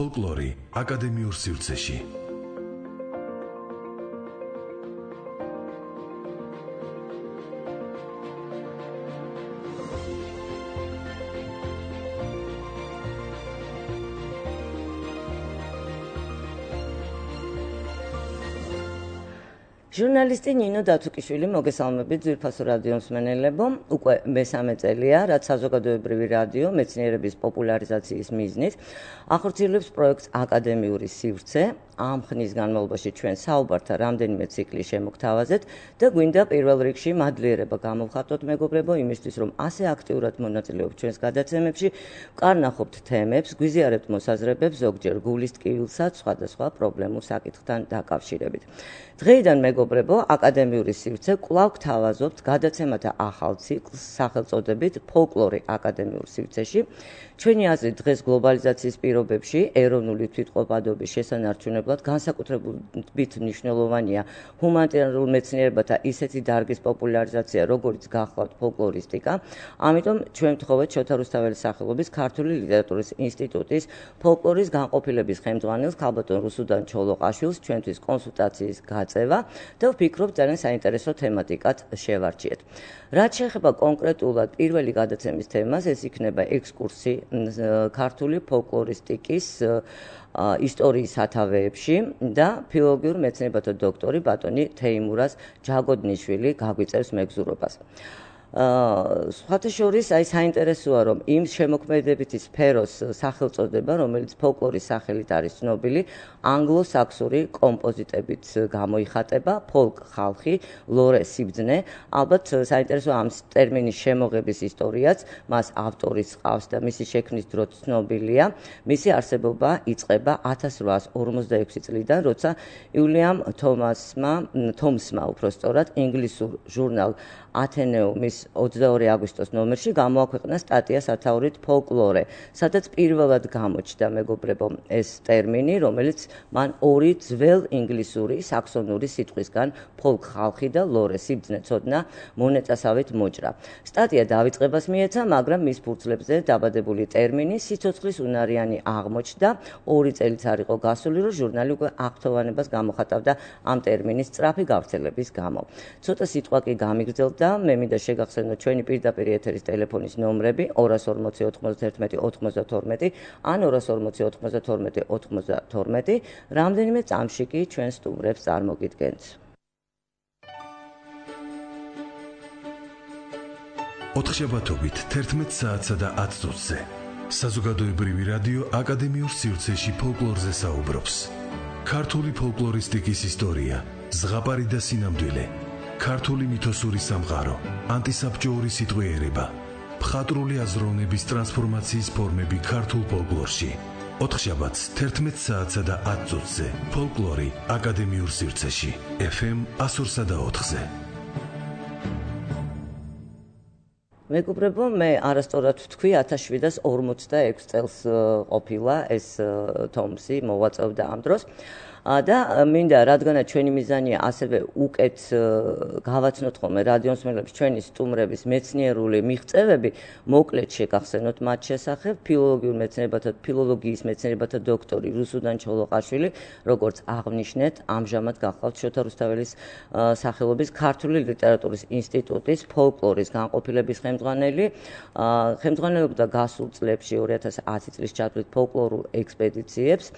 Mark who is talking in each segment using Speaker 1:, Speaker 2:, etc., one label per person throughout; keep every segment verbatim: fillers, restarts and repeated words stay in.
Speaker 1: ფოლკლორი აკადემიურ სივრცეში.
Speaker 2: ჟურნალისტი ნინო დათუკიშვილი მოგესალმებით ძვირფასო რადიო მსმენელებო, უკვე მესამე წელია, რაც საზოგადოებრივი რადიო მეცნიერების პოპულარიზაციის მიზნით ახორციელებს პროექტს აკადემიური სივრცე. ამ ხნის განმავლობაში ჩვენ საუბართა რამდენიმე ციკლი შემოგთავაზეთ და გვინდა პირველ რიგში მადლიერება გამოვხატოთ მეგობრებო იმისთვის, რომ ასე აქტიურად მონაწილეობთ ჩვენს გადაცემებში, ვკარნახობთ თემებს, გვიზიარებთ მოსაზრებებს, ზოგჯერ გულის ტკივილსაც, სხვადასხვა პრობლემურ საკითხთან დაკავშირებით. დღეიდან მეგობრებო, აკადემიური სივრცე კვლავ გთავაზობთ გადაცემათა ახალ ციკლს სახელწოდებით ფოლკლორი აკადემიურ სივრცეში. ჩვენი აზრით დღეს გლობალიზაციის პირობებში ეროვნული თვითყოფადობის შესანარჩუნებლად განსაკუთრებით მნიშვნელოვანია ჰუმანიტარულ მეცნიერებათა ისეთი დარგის პოპულარიზაცია, როგორიც გახლავთ ფოლკლორისტიკა. ამიტომ ჩვენ ვთხოვეთ შოთა რუსთაველის სახელობის ქართული ლიტერატურის ინსტიტუტის ფოლკლორის განყოფილების ხელმძღვანელს ქალბატონ რუსუდან ჩოლოყაშვილს ჩვენთვის კონსულტაციის გაწევა და ვფიქრობ ძალიან საინტერესო თემატიკად შევარჩიეთ. რაც შეეხება კონკრეტულად პირველი გადაცემის თემას, ეს იქნება ექსკურსი ქართული ფოლკლორისტიკის ისტორიის სათავეებში და ფილოლოგიურ მეცნიერებათა დოქტორი ბატონი თეიმურაზ ჯაგოდნიშვილი გაგვიწევს მეგზურობას. სხვათა შორის აი საინტერესოა, რომ იმ შემოქმედებითი სფეროს სახელწოდება, რომელიც ფოლკლორის სახელით არის ცნობილი, ანგლო-საქსური კომპოზიტებით გამოიხატება, ფოლკ ხალხი, ლორე სიბრძნე. ალბათ საინტერესოა ამ ტერმინის შემოღების ისტორიაც, მას ავტორის ყავს და მისი შექმნის დრო ცნობილია. მისი არსებობა იწყება ათას რვაას ორმოცდაექვსი წლიდან, როცა უილიამ თომასმა, თომსმა უпростоრად ინგლისურ ჟურნალ ათენეუმის ოცდაორი აგვისტოს ნომერში გამოაქვეყნა სტატია სათაურით ფოლკლორე, სადაც პირველად გამოჩნდა მეგობრებო ეს ტერმინი, რომელიც მან ორი ძველ ინგლისური საქსონური სიტყვისგან ფოლკ ხალხი და ლორე სიბრძნე ცოდნა მონეწასავით მოჭრა. სტატია დავიწყებას მიეცა, მაგრამ მის ფურცლებზე დაბადებული ტერმინი სიცოცხლის უნარიანი აღმოჩნდა. ორი წელიც არ იყო გასული, რომ ჟურნალი უკვე აღთოვანებას გამოხატავდა ამ ტერმინის სწრაფი გავრცელების გამო. ცოტა სიტყვა კი გამიგრძელდა და მე მინდა შეგახსენოთ ჩვენი პირდაპირ ეთერის ტელეფონის ნომრები ორას ორმოცი ოთხმოცდაერთმეტი ოცდათორმეტი ან ორას ორმოცი ოთხმოცდათორმეტი ოცდათორმეტი. რამდენიმე წამში კი ჩვენ სტუმრებს წარმოგიდგენთ.
Speaker 1: ოთხშაბათობით თერთმეტ საათსა და ათ წუთზე საზოგადოებრივი რადიო აკადემიურ სივრცეში ფოლკლორზე საუბრობს. ქართული ფოლკლორისტიკის ისტორია, ზღაპარი და სინამდვილე, ქართული მითოსური სამყარო, ანტისაბჭოური სიტყვიერება, მხატვრული აზროვნების ტრანსფორმაციის ფორმები ქართულ ფოლკლორში. ოთხშაბათს თერთმეტ საათსა და ათ წუთზე ფოლკლორი აკადემიურ სივრცეში, ეფ ემ εκατო ორსა და ოთხზე.
Speaker 2: მეგობრებო, მე არასწორად ვთქვი, ათას შვიდას ორმოცდაექვსი წელს ყოფილა ეს თომსი, მოვაწევდა ამ დროს. და მინდა რადგანაც ჩვენი მიზანია ასევე უკეთ გავაცნოთ ხოლმე რადიო მსმენელებს ჩვენი სტუმრების მეცნიერული მიღწევები, მოკლედ შეგახსენოთ მათ შესახებ. ფილოლოგიურ მეცნიერებათა ფილოლოგიის მეცნიერებათა დოქტორი რუსუდან ჩოლოყაშვილი, როგორც აღნიშნეთ, ამჟამად გახლავთ შოთა რუსთაველის სახელობის ქართული ლიტერატურის ინსტიტუტის ფოლკლორის განყოფილების ხელმძღვანელი. ხელმძღვანელობდა გასულ წლებში ორი ათას ათი წლის ჩათვლით ფოლკლორულ ექსპედიციებს,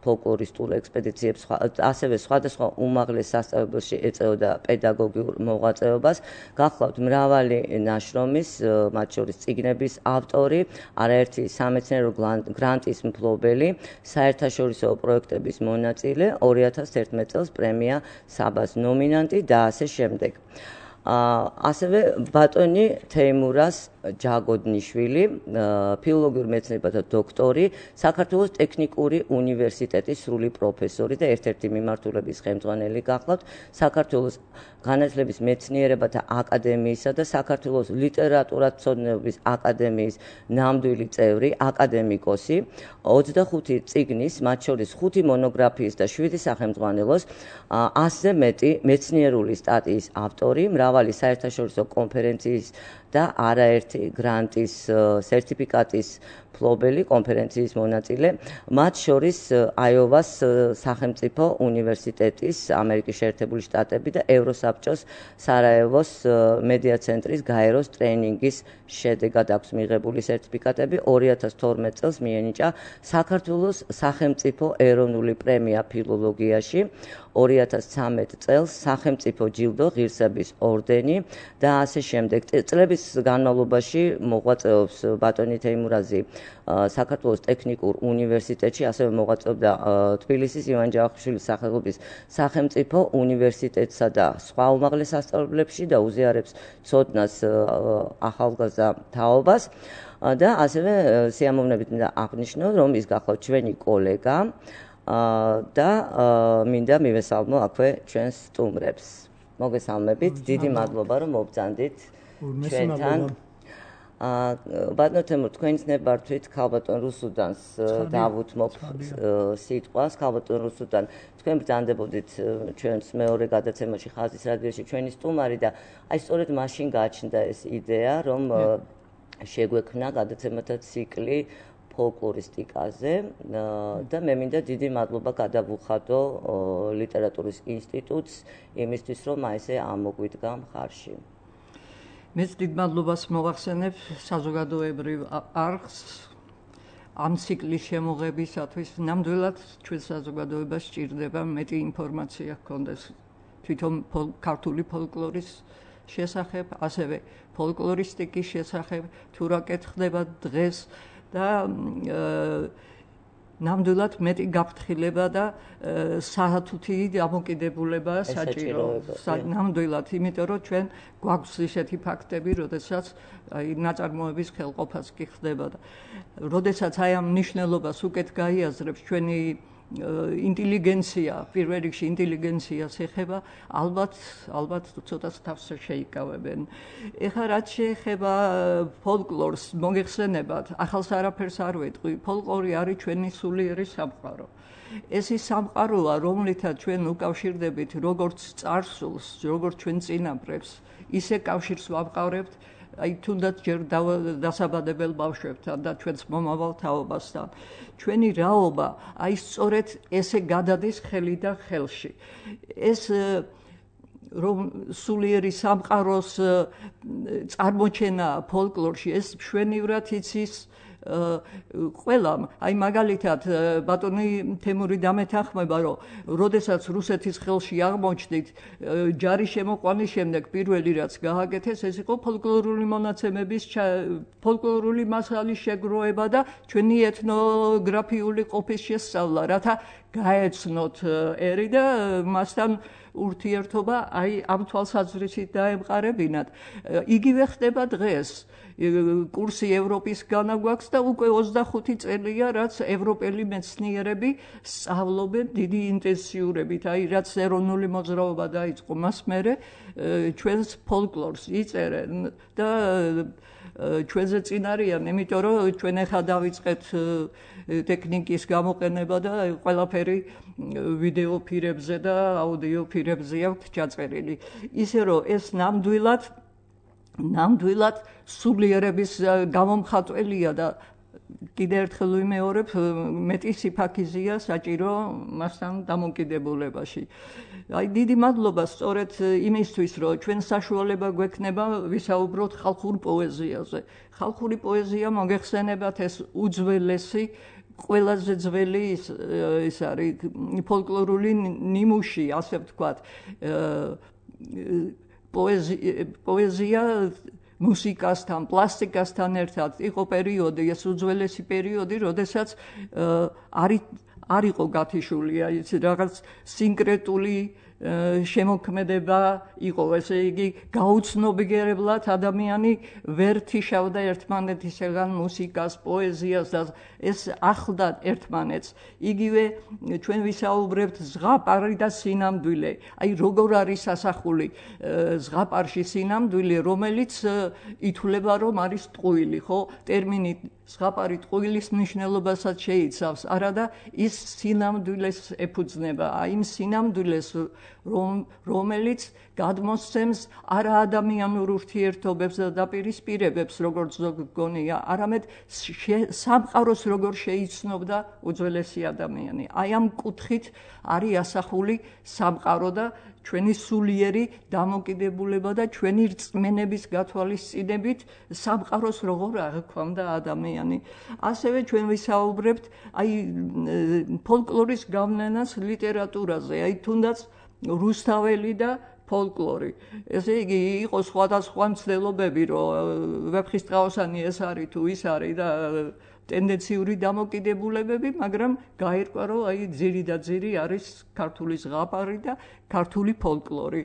Speaker 2: ფოლკლორისტულ ექსპედიციებს, ასევე სხვადასხვა უმაღლეს სასწავლებელში ეწეოდა პედაგოგიურ მოღვაწეობას. გახლავთ მრავალი ნაშრომის, მათ შორის წიგნების ავტორი, არაერთი სამეცნიერო გრანტის მფლობელი, საერთაშორისო პროექტების მონაწილე, ორი ათას თერთმეტ წელს პრემია საბას ნომინანტი და ასე შემდეგ. ასევე ბატონი თეიმურაზ ჯაგოდნიშვილი, ფილოლოგიურ მეცნიერებათა დოქტორი, საქართველოს ტექნიკური უნივერსიტეტის სრული პროფესორი და ერთ-ერთი მიმართულების ხელმძღვანელი გახლავთ, საქართველოს განათლების მეცნიერებათა აკადემიისა და საქართველოს ლიტერატურათმცოდნეობის აკადემიის ნამდვილი წევრი, აკადემიკოსი, ოცდახუთი წიგნის, მათ შორის ხუთი მონოგრაფიის და შვიდი სახელმძღვანელოს, ასზე მეტი მეცნიერული სტატიის ავტორი, მრავალი საერთაშორისო კონფერენციის და არაერთი გრანტის სერტიფიკატის ფლობელი კონფერენციის მონაწილე, მათ შორის აიოვას სახელმწიფო უნივერსიტეტის, ამერიკის შეერთებული შტატები და ევროსაბჭოს სარაევოს მედია ცენტრის გაეროს ტრენინგის შედეგად აქვს მიღებული სერტიფიკატები. ორი ათას თორმეტ წელს მიენიჭა საქართველოს სახელმწიფო ეროვნული პრემია ფილოლოგიაში, ორი ათას ცხრამეტ წელს სახელმწიფო ჯილდო, ღირსების ორდენი და ასე შემდეგ. წლების განმავლობაში მოღვაწეობს ბატონი თეიმურაზი საქართველოს ტექნიკურ უნივერსიტეტში, ასევე მოღვაწეობდა თბილისის ივან ჯავახიშვილის სახელობის სახელმწიფო უნივერსიტეტსა და სხვა უმაღლეს სასწავლებლებში და უზიარებს ცოდნას ახალგაზრდა თაობას და ასევე სიამოვნებით მინდა აღნიშნო, რომ ის გახლავთ ჩვენი კოლეგა და მინდა მივესალმო აქვე ჩვენს სტუმრებს. მოგესალმებით, დიდი მადლობა რომ მობრძანდით ჩვენთან. ბატონო თემურ, თქვენ ნებართვით ქალბატონ რუსუდანს დავუთმობ სიტყვას. ქალბატონ რუსუდან, თქვენ ბრძანდებოდით ჩვენს მეორე გადაცემაში ხაზის რადიოში ჩვენი სტუმარი და აი სწორედ მაშინ გააჩნდა ეს იდეა, რომ შეგვექმნა გადაცემათა ციკლი ფოლკლორისტიკაზე და მე მინდა დიდი მადლობა გადავუხადო ლიტერატურის ინსტიტუტს იმისთვის, რომ აი ესე ამოგვიდგა მხარში.
Speaker 3: მეც დიდ მადლობას მოვახსენებ საზოგადოებრივ არხს ამ ციკლის შემოღებისათვის. ნამდვილად ჩვენ საზოგადოებას სჭირდება მეტი ინფორმაცია ჰქონდეს თვითონ ქართული ფოლკლორის შესახებ, ასევე ფოლკლორისტიკის შესახებ, თუ რა კეთდება დღეს და ნამდვილად მეტი გაფრთხილება და საათუთი დამოკიდებულება საჭირო. ნამდვილად, იმიტომ რომ ჩვენ გვაქვს ისეთი ფაქტები, როდესაც აი ნაწარმოების ხელყოფაც კი ხდება და როდესაც აი ამ მნიშვნელობას უკეთ გაიაზრებს ჩვენი ინტელიგენცია, პირველ რიგში ინტელიგენციას ეხება, ალბათ, ალბათ ცოტას თავს შეიკავებენ. ეხლა რაც შეეხება ფოლკლორს, მოგეხსენებათ, ახალს არაფერს არ ვეტყვი, ფოლკლორი არის ჩვენი სულიერი სამყარო. ეს ის სამყაროა, რომლითაც ჩვენ უკავშირდებით როგორც წარსულს, როგორც ჩვენ წინაპრებს, ისე კავშირს ვამყარებთ აი თუნდაც ჯერ დასაბადებელ ბავშვებთან და ჩვენს მომავალ თაობასთან. ჩვენი რაობა აი სწორედ ესე გადადის ხელიდან ხელში. ეს რომ სულიერი სამყაროს წარმოჩენა ფოლკლორში, ეს მშვენივრად იცის ყველამ. აი მაგალითად ბატონი თემური დამეთანხმება, რომ როდესაც რუსეთის ხელში აღმოჩნდით ჯარის შემოყვანის შემდეგ პირველი რაც გააკეთეს, ეს იყო ფოლკლორული მონაცემების ფოლკლორული მასალის შეგროვება და ჩვენი ეთნოგრაფიული ყოფის შესწავლა, რათა გაეცნოთ ერი და მასთან ურთიერთობა აი ამ თვალსაზრისით დაემყარებინათ. იგივე ხდება დღეს. კურსი ევროპისგან გვაქვს და უკვე ოცდახუთი წელია, რაც ევროპელი მეცნიერები სწავლობენ დიდი ინტენსიურობით. აი რაც ეროვნული მოძრაობა დაიწყო, მას მერე ჩვენს ფოლკლორს იწერენ და ჩვენზე წინ არიან, იმიტომ რომ ჩვენ ახლა დავიწყეთ ტექნიკის გამოყენება და ყველაფერი ვიდეო ფირებზე და აუდიო ფირებზე აქვს ჩაწერილი. ისე რომ ეს ნამდვილად ნამდვილად სულიერების გამომხატველია და კიდევ ერთხელ ვიმეორებ, მეტი სიფაქიზეა საჭირო მასთან დამოკიდებულებაში. აი დიდი მადლობა სწორედ იმისთვის, რომ ჩვენ საშუალება გვექნება ვისაუბროთ ხალხურ პოეზიაზე. ხალხური პოეზია მოგეხსენებათ ეს უძველესი ყველაზე ძველი ის არის ფოლკლორული ნიმუში, ასე ვთქვათ. პოეზია მუსიკასთან, პლასტიკასთან ერთად იყო პერიოდი, ეს უძველესი პერიოდი, როდესაც არ იყო გათიშული, ის რაღაც სინკრეტული შემოქმედება იყო, ესე იგი გაუცნობიერებლად ადამიანი ვერ თიშავდა ერთმანეთისგან მუსიკას, პოეზიას და ეს ახლდა ერთმანეთს. იგივე ჩვენ ვისაუბრებთ ზღაპარი და სინამდვილე. აი როგორ არის ასახული ზღაპარში სინამდვილე, რომელიც ითვლება რომ არის ტყუილი, ხო? ტერმინი ზღაპარი ტყუილის მნიშვნელობასაც შეიცავს, არადა ის სინამდვილეს ეფუძნება. აი იმ სინამდვილეს რომელიც გადმოსცემს არაადამიანურ ურთიერთობებს და დაპირისპირებებს, როგორც გონია, არამედ სამყაროს როგორ შეიცნობდა უძველესი ადამიანი. აი ამ კუთხით არის ასახული სამყარო და ჩვენი სულიერი დამოკიდებულება და ჩვენი რწმენების გათვალისწინებით სამყაროს როგორ აღქვამდა ადამიანი. ასევე ჩვენ ვისაუბრებთ აი ფოლკლორის გავლენას ლიტერატურაზე, აი თუნდაც რუსთაველი და ფოლკლორი. ესე იგი იყო სხვადასხვა მცდელობები, რომ ვეფხისტყაოსანი ეს არის თუ ის არის და ტენდენციური დამოკიდებულებები, მაგრამ გაირკვა, რომ აი ძირი და ძირი არის ქართული ზღაპარი და ქართული ფოლკლორი.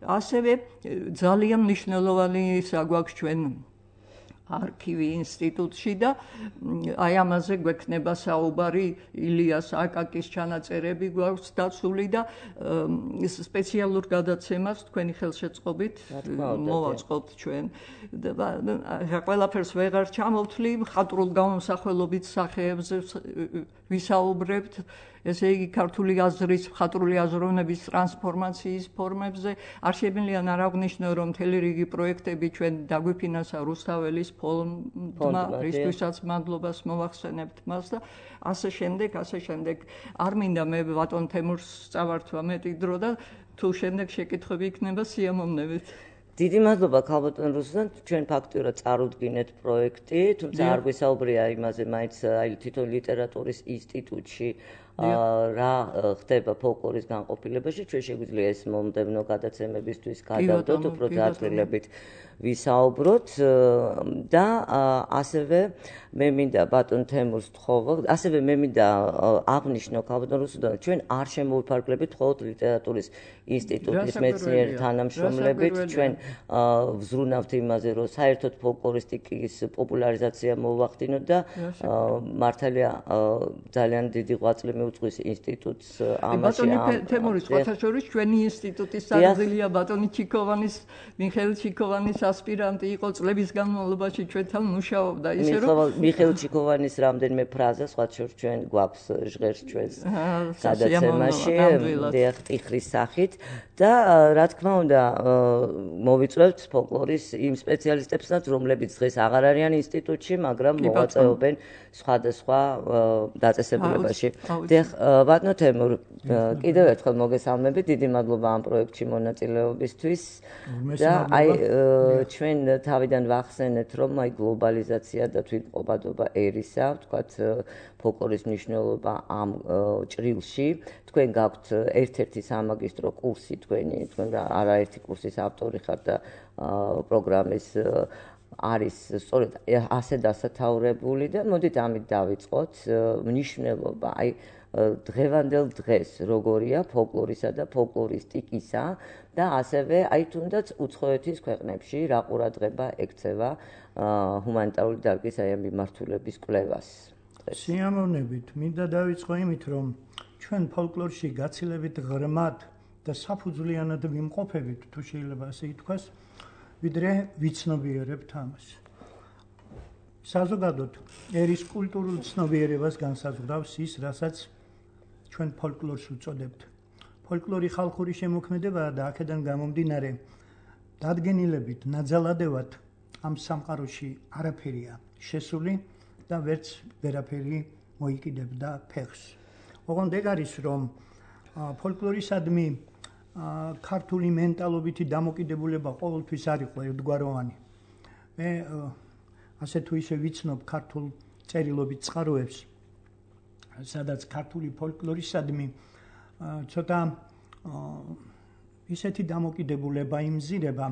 Speaker 3: ასევე ძალიან მნიშვნელოვანი საგვაქვს ჩვენ არქივი ინსტიტუტში და აი ამაზე გვექნება საუბარი, ილიას აკაკის ჩანაწერები გვაქვს დაცული და სპეციალურ გადაცემას თქვენი ხელშეწყობით მოვაწყობთ ჩვენ. ყველაფერს ვეღარ ჩამოვთვლი, მხატვრულ გამომსახველობით სახეებზე ვისაუბრებთ, ესე იგი ქართული აზრის, მხატვრული აზროვნების ტრანსფორმაციის ფორმებზე. არ შემიძლია არ აღვნიშნო, რომ მთელი რიგი პროექტები ჩვენ დაგვიფინანსა რუსთაველის ფონდმა, რისთვისაც მადლობას მოვახსენებთ მას და ასე შემდეგ, ასე შემდეგ. არ მინდა მე ბატონ თემურს წავართვა მეტი დრო და თუ შემდეგ შეკითხვები იქნება სიამოვნებით.
Speaker 2: დიდი მადლობა ქალბატონ რუსლან, ჩვენ ფაქტიურად წარუდგინეთ პროექტი, თუმცა არ გვესაუბრია იმაზე, მაინც აი თვითონ ლიტერატურის ინსტიტუტში რა ხდება ფოლკლორის განყოფილებაში, ჩვენ შეგვიძლია ეს მომდევნო გადაცემებისთვის გადავდოთ, უფრო დაწყილებით ვისაუბროთ და ასევე მე მინდა ბატონ თემურს თხოვო, ასევე მე მინდა აღვნიშნო ქალბატონ რუსლან, ჩვენ არ შემოვიფარგლებით მხოლოდ ლიტერატურის ინსტიტუტის მეცნიერ თანამშრომლებით, ჩვენ ვზრუნავთ იმაზე, რომ საერთოდ ფოლკლორისტიკის პოპულარიზაცია მოვახდინოთ და მართალია ძალიან დიდი ღვაწლი მიუძღვის ინსტიტუტს ამაში.
Speaker 3: ბატონი თემური სხვათა შორის ჩვენი ინსტიტუტის საგზელია ბატონი ჩიქოვანის, მიხეილ ჩიქოვანის ასპირანტი იყო წლების განმავლობაში ჩვენთან მუშაობდა, ისე რომ
Speaker 2: მიხეილ ჩიქოვანის რამდენიმე ფრაზა სხვათა შორის ჩვენ გვაქვს ჟღერს ჩვენს გადაცემაში, დიახ, ტიხრის სახით და რა თქმა უნდა მოვიწვევთ ფოლკლორის იმ სპეციალისტებსაც, რომლებიც დღეს აღარ არიან ინსტიტუტში, მაგრამ მოვაწეობენ სხვადასხვა დაწესებულებაში. დიახ, ბატონო თემურ, კიდევ ერთხელ მოგესალმებით, დიდი მადლობა ამ პროექტში მონაწილეობისთვის და აი ჩვენ თავიდან ვახსენეთ, რომ აი გლობალიზაცია და თვითმყოფადობა ერისა, ვთქვათ, ფოლკლორის მნიშვნელობა ამ ჭრილში. თქვენ გაქვთ ერთ-ერთი სამაგისტრო კურსი, თქვენი, თქვენ არაერთი კურსის ავტორი ხართ და პროგრამის არის სწორედ ასე დასათაურებული და მოდით ამით დავიწყოთ. მნიშვნელობა, აი დღევანდელ დღეს როგორია ფოლკლორისა და ფოლკლორისტიკისა და ასევე აი თუნდაც უცხოეთის ქვეყნებში რა ყურადღება ექცევა ჰუმანიტარული დარგის აი ამ მიმართულების კვლევას.
Speaker 4: სიამოვნებით, მინდა დავიწყო იმით, რომ ჩვენ ფოლკლორში გაცილებით ღრმად და საფუძვლიანად ვიმყოფებით, თუ შეიძლება ასე ითქვას, ვიდრე ვიცნობიერებთ ამას. საზოგადოდ ერის კულტურულ ცნობიერებას განსაზღვრავს ის, რასაც ჩვენ ფოლკლორს უწოდებთ. ფოლკლორი ხალხური შემოქმედებაა და აქედან გამომდინარე დადგენილებით, ნაძალადევად ამ სამყაროში არაფერია შესული და ვერც ვერაფერი მოიკიდებდა ფეხს. ოღონდ ეგ არის, რომ ფოლკლორისადმი ქართული მენტალობითი დამოკიდებულება ყოველთვის არ იყო ერთგვაროვანი. მე ასე თუ ისე ვიცნობ ქართულ წერილობით წყაროებს, სადაც ქართული ფოლკლორისადმი ცოტა ისეთი დამოკიდებულება იმზირება,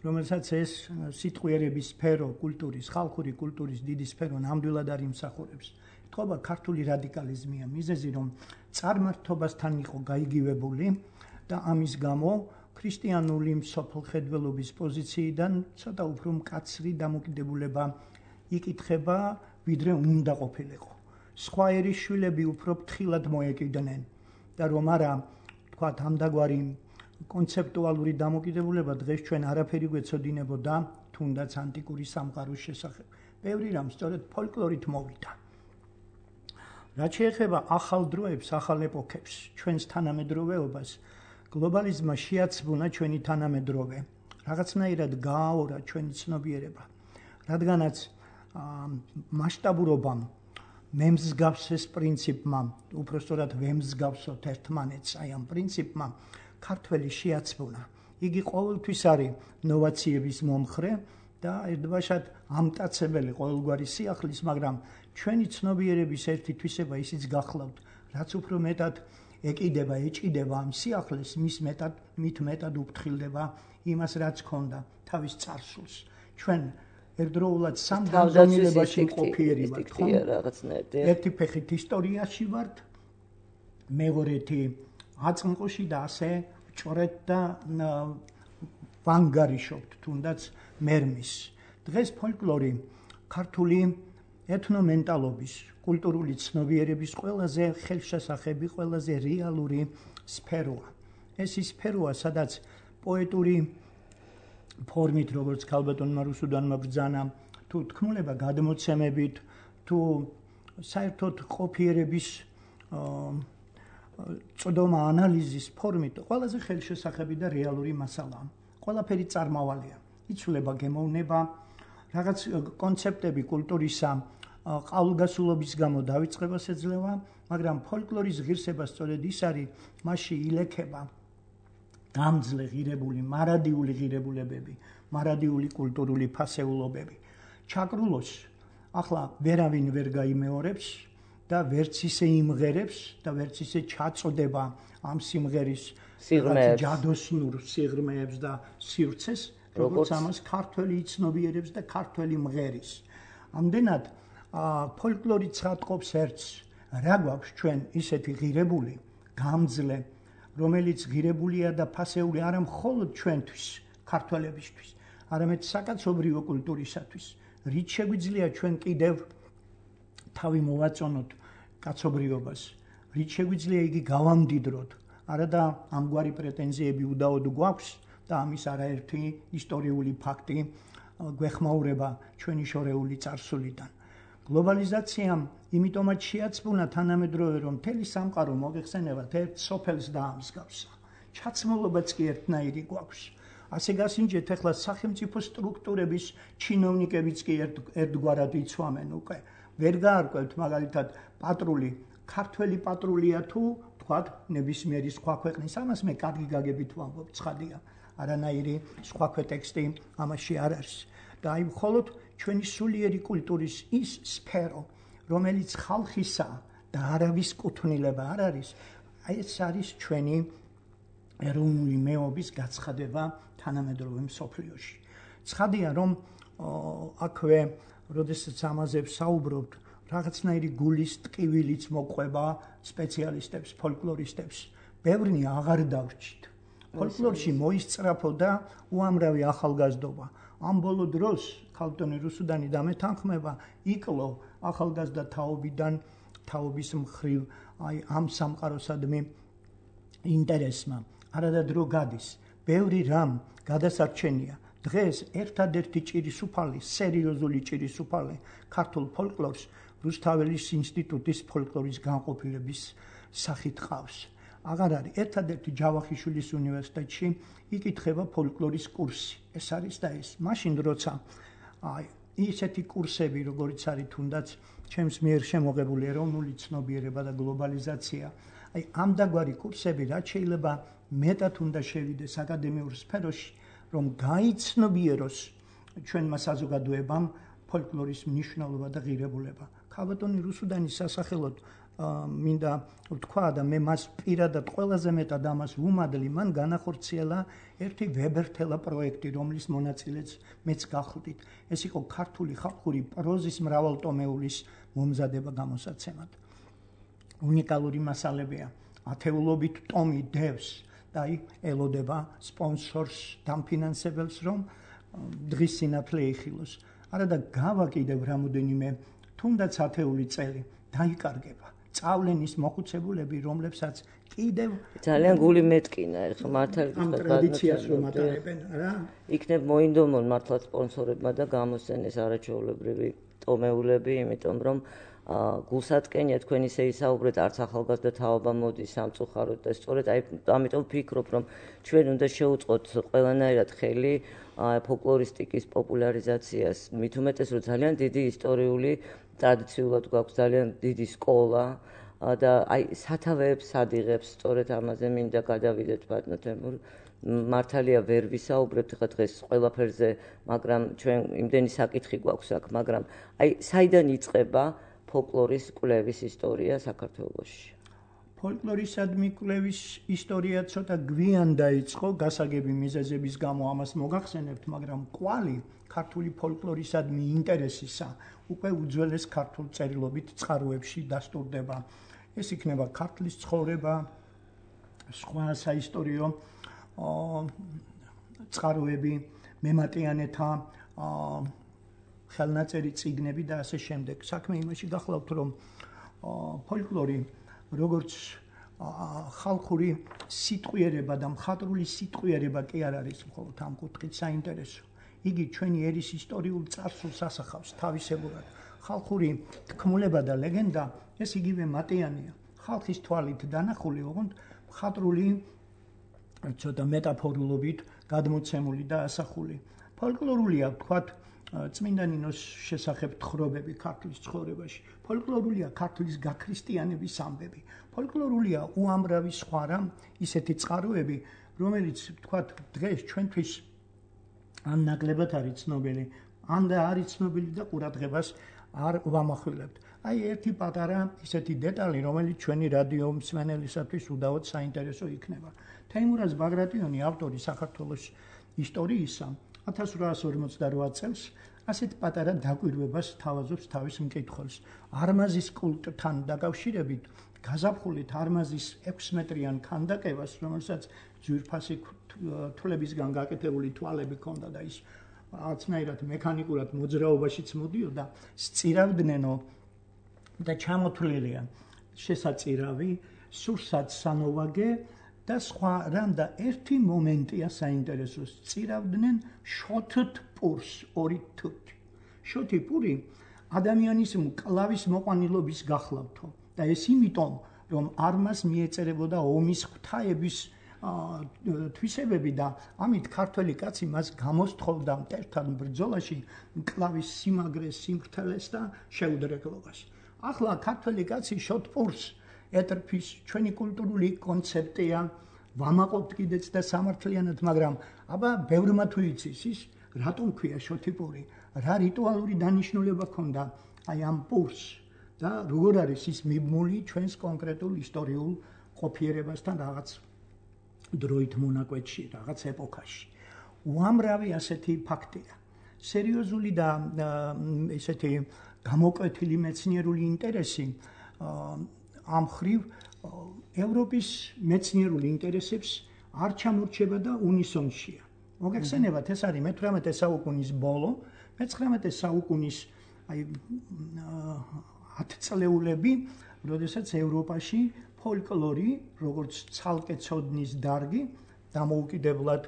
Speaker 4: რომელსაც ეს სიტყვიერების სფერო, კულტურის, ხალხური კულტურის დიდი სფერო ნამდვილად არ იმსახურებს. ეთქობა ქართული რადიკალიზმია მიზეზი, რომ წარმართობასთან იყო გაიგივებული და ამის გამო ქრისტიანული მსოფლმხედველობის პოზიციიდან ცოტა უფრო მკაცრი დამოკიდებულება იკითხება, ვიდრე უნდა ყოფილიყო. სხვა ერის შვილები უფრო ფრთხილად მოეკიდნენ და რომ არა, თქვათ, ამდაგვარი კონცეპტუალური დამოკიდებულება დღეს ჩვენ არაფერი გვეცოდინებოდა თუნდაც ანტიკური სამყაროს შესახებ. ბევრი რამ სწორედ ფოლკლორით მოვიდა. რაც შეეხება ახალ დროებს, ახალ ეპოქებს, ჩვენს თანამედროვეობას, გლობალიზმმა შეაცვლა ჩვენი თანამედროვე, რაღაცნაირად გააორა ჩვენი ცნობიერება, რადგანაც მასშტაბურობამ მემსგავს ეს პრინციპმა, უпростоრად ვემსგავსოთ ერთმანეთს, აი ამ პრინციპმა ქართველი შეაცვლა. იგი ყოველთვის არის ნოვაციების მომხრე და ერთბაშად ამტაცებელი ყოველგვარი სიახლის, მაგრამ ჩვენი ცნობიერების ერთი თვისება ისიც გახლავთ, რაც უფრო მეტად ეკიდება, ეჭიდება ამ სიახლეს, მის მეტად, მით მეტად უფრთხილდება იმას, რაც ქონდა თავის წარსულს. ჩვენ ერთდროულად სამ განზომილებაში მყოფიერი ვართ, ხო? ერთი ფეხით ისტორიაში ვართ, მეორეთი აწმყოში და ასე ჭორეთ და ვანგარიშობთ, თუნდაც მერმის. დღეს ფოლკლორი ქართული ეთნომენტალობის, კულტურული ცნობიერების ყველაზე ხელშესახები, ყველაზე რეალური სფეროა. ეს ის სფეროა, სადაც პოეტური ფორმით, როგორც ქალბატონმა რუსუდანმა ბრძანა, თუ თქმულება გადმოცემებით, თუ საერთოდ ყოფიერების წოდომა ანალიზის ფორმით, ყველაზე ხელშესახები და რეალური მასალაა. ყველაფერი წარმავალია. იცვლება, გემოვნება, რაღაც კონცეპტები კულტურისა ყალგასულობის გამო დავიწყებას ეძლევა, მაგრამ ფოლკლორის ღირსება სწორედ ის არის, მასში ილექება დამძლე ღირებული, მარადიული ღირებულებები, მარადიული კულტურული ფასეულობები. ჩაკრულოს ახლა ვერავინ ვერ გაიმეორებს და ვერც ისე იმღერებს და ვერც ისე ჩაწოდება ამ სიმღერის ჯადოსნურ სიღრმეებს და სივრცეს, როგორც ამას ქართველი იცნობიერებს და ქართველი მღერის. ამდენად ფოლკლორი ცხადყოფს ერთს, რა გვაქვს ჩვენ ისეთი ღირებული, გამძლე, რომელიც ღირებულია და ფასეული არა მხოლოდ ჩვენთვის, ქართველებისთვის, არამედ საკაცობრიო კულტურისათვის. რით შეგვიძლია ჩვენ კიდევ თავი მოვაწონოთ კაცობრიობას, რით შეგვიძლია იგი გავამდიდროთ, არა და ამგვარი პრეტენზიები უდაოდ გვაქვს და ამის არაერთი ისტორიული ფაქტი გვეხმაურება ჩვენი შორეული წარსულიდან. გლობალიზაციამ იმიტომაც შეაცვლა თანამედროვე, რომ მთელი სამყარო მოგეხსენებათ ერთ სოფელს დაამსგავსა. ჩაცმულობაც კი ერთნაირი გვაქვს. ასე გასინჯეთ, ახლა სახელმწიფო სტრუქტურების ჩინოვნიკებიც კი ერთგვარად იცვამენ უკვე. ვერ გაარკვევთ მაგალითად პატრული, ქართველი პატრულია თუ თქვათ ნებისმიერი სხვა ქვეყნის, ამას მე კარგი გაგებით ვამბობ, ცხადია. არანაირი სხვა ტექსტი ამაში არ არის. და აი მხოლოდ ჩვენი სულიერი კულტურის ის სფერო, რომელიც ხალხისა და არავის კუთვნილება არ არის, აი ეს არის ჩვენი ეროვნული მეობის გაცხადება თანამედროვე მსოფლიოში. ცხადია, რომ აქვე, როდესაც ამაზე ვსაუბრობთ, რაღაცნაირი გულის ტკივილიც მოყვება სპეციალისტებს, ფოლკლორისტებს. ბევრნი აღარ დავრჩით. ფოლკლორში მოისწრაფოდა უამრავი ახალგაზრდობა. ამ ბოლო დროს ქალბატონი რუსუდანი დამეთანხმება, იკლო ახალგაზრდა თაობიდან, თაობის მხრივ, აი ამ სამყაროსადმი ინტერესმა. არადა დრო გადის. ბევრი რამ გადასარჩენია. დღეს ერთადერთი ჭირისუფალი, სერიოზული ჭირისუფალი ქართულ ფოლკლორს რუსთაველის ინსტიტუტის ფოლკლორის განყოფილების სახით ყავს. აღარ არის. ერთადერთი ჯავახიშვილის უნივერსიტეტში იკითხება ფოლკლორის კურსი. ეს არის და ეს. მაშინ როცა აი ისეთი კურსები, როგორც არის თუნდაც ჩემს მიერ შემოღებული ეროვნული ცნობიერება და გლობალიზაცია, აი ამ დაგვარი კურსები რაც შეიძლება მეტად უნდა შევიდეს აკადემიურ სფეროში, რომ გაიცნობიეროს ჩვენმა საზოგადოებამ ფოლკლორის მნიშვნელობა და ღირებულება. ქალბატონი რუსუდანის სასახელოდ მინდა ვთქვა და მე მას პირადად ყველაზე მეტად ამას ვუმადლი, მან განახორციელა ერთი ვებერთელა პროექტი, რომლის მონაწილეც მეც გახლდით. ეს იყო ქართული ხალხური პროზის მრავალტომეულის მომზადება გამოსაცემად. უნიკალური მასალებია. ათეულობით ტომი დევს და აი ელოდება სპონსორს, დამფინანსებელს, რომ დღის სინათლე იხილოს. არა და გავა კიდევ რამოდენიმე თუნდაც ათეული წელი დაიკარგება. წავლენის მოხუცებულები, რომლებსაც კიდევ
Speaker 2: ძალიან გული მეტკინა, ეხლა მართალი
Speaker 4: ტრადიციას რომ ატარებენ, რა?
Speaker 2: იქნებ მოინდომონ მართლა სპონსორებმა და გამოსცენეს არაჩვეულებრივი ტომეულები, იმიტომ რომ გულსატკენია თქვენ ისე ისაუბრეთ, არც ახალგაზრდა თაობა მოდის სამწუხაროდ და სწორედ აი ამიტომ ვფიქრობ, რომ ჩვენ უნდა შევუწყოთ ყველანაირად ხელი ფოლკლორისტიკის პოპულარიზაციას, მით უმეტეს, რომ ძალიან დიდი ისტორიული ტრადიციულად გვაქვს ძალიან დიდი სკოლა და აი სათავეებს ადიღებს, სწორედ ამაზე მინდა გადავიდეთ ბატონო თემურ. მართალია ვერ ვისაუბრებთ ხა დღეს ყველაფერზე, მაგრამ ჩვენ იმდენი საკითხი გვაქვს აქ, მაგრამ აი საიდან იწყება ფოლკლორის კვლევის ისტორია საქართველოში?
Speaker 4: ფოლკლორისადმი კვლევის ისტორია ცოტა გვიან დაიწყო, გასაგები მიზეზების გამო ამას მოგახსენებთ, მაგრამ კვალი ქართული ფოლკლორისადმი ინტერესისა უკვე უძველეს ქართულ წერილობით წყაროებში დასტურდება. ეს იქნება ქართლის ცხოვრება, სხვა საისტორიო წყაროები, მემატიანეთა ხელნაწერი წიგნები და ასე შემდეგ. საქმე იმაში გახლავთ, რომ ფოლკლორი როგორც ხალხური სიტყვიერება და მხატვრული სიტყვიერება კი არ არის მხოლოდ ამ კუთხით საინტერესო. იგი ჩვენი ერის ისტორიულ წარსულს ასახავს თავისებურად. ხალხური თქმულება და ლეგენდა ეს იგივე მატიანია. ხალხის თვალით დანახული, ოღონდ მხატვრული ცოტა მეტაფორულობით გადმოცემული და ასახული. ფოლკლორულია, ვთქვათ, წმინდა ნინოს შესახებ თხრობები ქართლის ცხოვრებაში. ფოლკლორულია ქართლის გაქრისტიანების ამბები. ფოლკლორულია უამრავი სხვა რამ ისეთი წყაროები, რომელიც ვთქვათ, დღეს ჩვენთვის ან ნაკლებად არის ცნობილი, ან და არის ცნობილი და ყურადღებას არ ვამახვილებთ. აი ერთი პატარა ისეთი დეტალი, რომელიც ჩვენი რადიო მსმენელისათვის უდავოდ საინტერესო იქნება. თეიმურაზ ბაგრატიონი, ავტორი საქართველოს ისტორიისა, ათას რვაას ორმოცდარვა წელს ასეთ პატარა დაკვირვებას თავაზობს თავის მკითხველს. არმაზის კულტთან დაკავშირებით გაზაფხულით არმაზის ექვსმეტრიან ქანდაკებას, რომელსაც ძვირფასი თვლებისგან გაკეთებული თვალები ჰქონდა და ის რაღაცნაირად მექანიკურად მოძრაობაშიც მოდიოდა, სწირავდნენო და ჩამოთვლილია შესაწირავი, სურსათ სანოვაგე და სხვა რამ და ერთი მომენტია საინტერესო, სწირავდნენ შოთთ პურს, ორი თუთი. შოთი პური ადამიანის მკლავის მოყვანილობის გახლავთო და ეს იმიტომ, რომ არმას მიეწერებოდა ომის ღვთაების თვისებები და ამით ქართველი კაცი მას გამოსთხოვდა მტერთან ბრძოლაში მკლავის სიმაგრეს, სიმართლეს და შეუდრეკლობას. ახლა ქართველი კაცი შოთთ პურს ეტრფის, ჩვენი კულტურული კონცეფტია, ვამაყობთ კიდეც და სამართლიანად, მაგრამ აბა ბევრმა თუ იცის ის, რატომ ქვია შოთი პური, რა რიტუალური დანიშნულება ჰქონდა აი ამ პურს და როგორ არის ის მიბმული ჩვენს კონკრეტულ ისტორიულ ყოფიერებასთან რაღაც დროით მონაკვეთში, რაღაც ეპოქაში. უამრავი ასეთი ფაქტია. სერიოზული და ესეთი გამოკვეთილი მეცნიერული ინტერესი ამ ხრივ ევროპის მეცნიერული ინტერესებს არ ჩამორჩება და უნისონშია. მოგეხსენებათ, ეს არის მეთვრამეტე საუკუნის ბოლო, მეცხრამეტე საუკუნის აი ათწლეულები, როდესაც ევროპაში ფოლკლორი, როგორც ცალკე ცოდნის დარგი, დამოუკიდებლად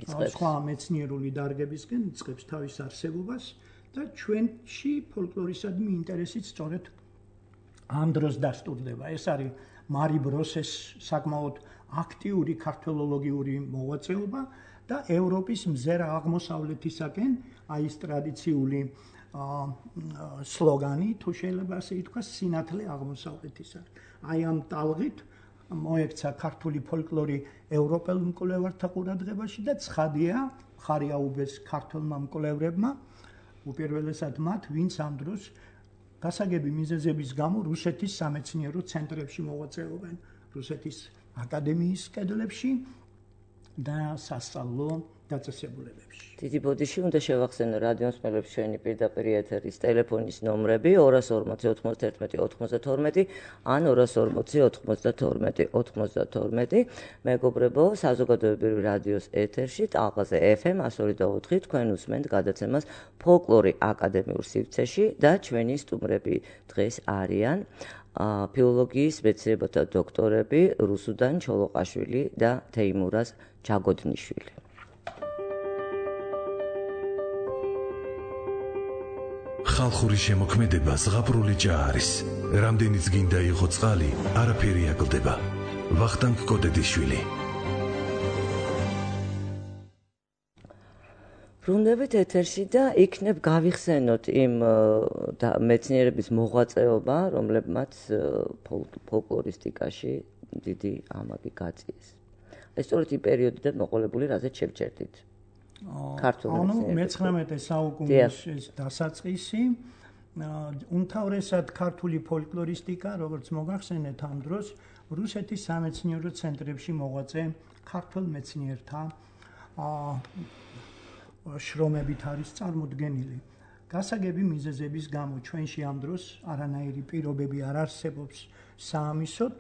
Speaker 4: სხვა მეცნიერული დარგებისგან იწყებს თავის არსებობას და ჩვენში ფოლკლორისადმი ინტერესიც სწორედ ამ დროს დასტურდება. ეს არის მარი ბროსეს საკმაოდ აქტიური ქართველოლოგიური მოღვაწეობა და ევროპის მზერა აღმოსავლეთისაკენ აი ეს ტრადიციული სლოგანი, თუ შეიძლება ასე ითქვას, სინათლე აღმოსავლეთისა. აი ამ ტალღით მოექცა ქართული ფოლკლორი ევროპელ მკვლევართა ყურადღებაში და ცხადია, მხარი აუბეს ქართულმა მკვლევრებმა, უპირველესად მათ, ვინც ამ დროს გასაგები მიზეზების გამო რუსეთის სამეცნიერო ცენტრებში მოღვაწეობენ, რუსეთის აკადემიის კედლებში და სასწავლო დაწესებულებებში.
Speaker 2: დიდი ბოდიში უნდა შევახსენო რადიო მსმენელებს ჩვენი პირდაპირ ეთერის ტელეფონის ნომრები ორას ორმოცი ოთხმოცდაერთმეტი ოთხმოცდათორმეტი ან ორას ორმოცი ოთხმოცდათორმეტი ოთხმოცდათორმეტი. მეგობრებო, საზოგადოებრივი რადიოს ეთერში ტალღაზე ეფ ემ εκατო ორი და ოთხი თქვენ უსმენთ გადაცემას ფოლკლორი აკადემიურ სივრცეში და ჩვენი სტუმრები დღეს არიან ფილოლოგიის მეცნიერებათა დოქტორები რუსუდან ჩოლოყაშვილი და თეიმურაზ ჯაგოდნიშვილი.
Speaker 1: ხალხური შემოქმედება ზღაპრული ჭა არის. რამდენიც გინდა იყო წყალი, არაფერი აკლდება. ვახტანგ კოდედიშვილი.
Speaker 2: ბრუნდებით ეთერში და იქნებ გავიხსენოთ იმ მეცნიერების მოღვაწეობა, რომლებმაც ფოლკლორისტიკაში დიდი ამაგი გაწიეს. ეს სწორედ იმ პერიოდიდან მოყოლებული, რაზეც შევჩერდით.
Speaker 4: ანუ მეცხრამეტე საუკუნის დასაწყისი, უმთავრესად ქართული ფოლკლორისტიკა, როგორც მოგახსენეთ ამ დროს, რუსეთის სამეცნიერო ცენტრებში მოღვაწე ქართულ მეცნიერთა შრომებით არის წარმოდგენილი. გასაგები მიზეზების გამო ჩვენში ამ დროს არანაირი პირობები არ არსებობს საამისოდ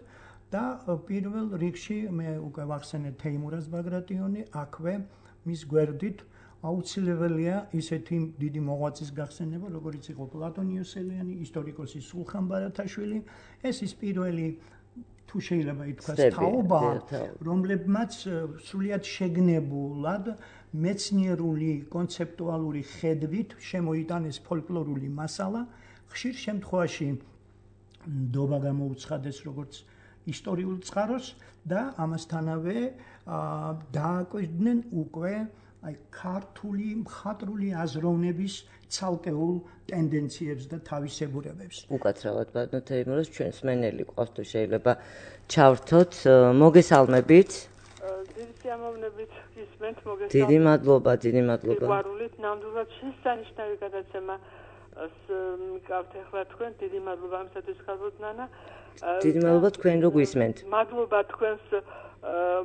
Speaker 4: და პირველ რიგში მე უკვე ვახსენე თეიმურაზ ბაგრატიონი, აქვე მის გვერდით აუცილებელია ისეთი დიდი მოღვაწის გახსენება, როგორიც იყო პლატონ იოსელიანი, ისტორიკოსი სულხან ბარათაშვილი. ეს ის პირველი თუ შეიძლება ითქვას თაობა, რომლებმაც სრულიად შეგნებულად მეცნიერული კონცეპტუალური ხედვით შემოიტანეს ფოლკლორული მასალა, ხშირ შემთხვევაში ნდობა გამოუცხადეს როგორც ისტორიულ წყაროს და ამასთანავე დააკვირდნენ უკვე აი ქართული მხატვრული აზროვნების ცალკეულ ტენდენციებს და თავისებურებებს.
Speaker 2: უკაცრავად ბატონო თეიმურაზ, ჩვენ სმენელი ყავს თუ შეიძლება ჩავრთოთ, მოგესალმებით.
Speaker 5: დიდი სიამოვნებით გისმენთ, მოგესალმებით.
Speaker 2: დიდი მადლობა, დიდი მადლობა.
Speaker 5: სიყვარულით ნამდვილად შესანიშნავი გადაცემა მიკავთ ახლა თქვენ, დიდი მადლობა ამისათვის ხალხოთ ნანა.
Speaker 2: დიდი მადლობა თქვენ რო გვისმენთ.
Speaker 5: მადლობა თქვენს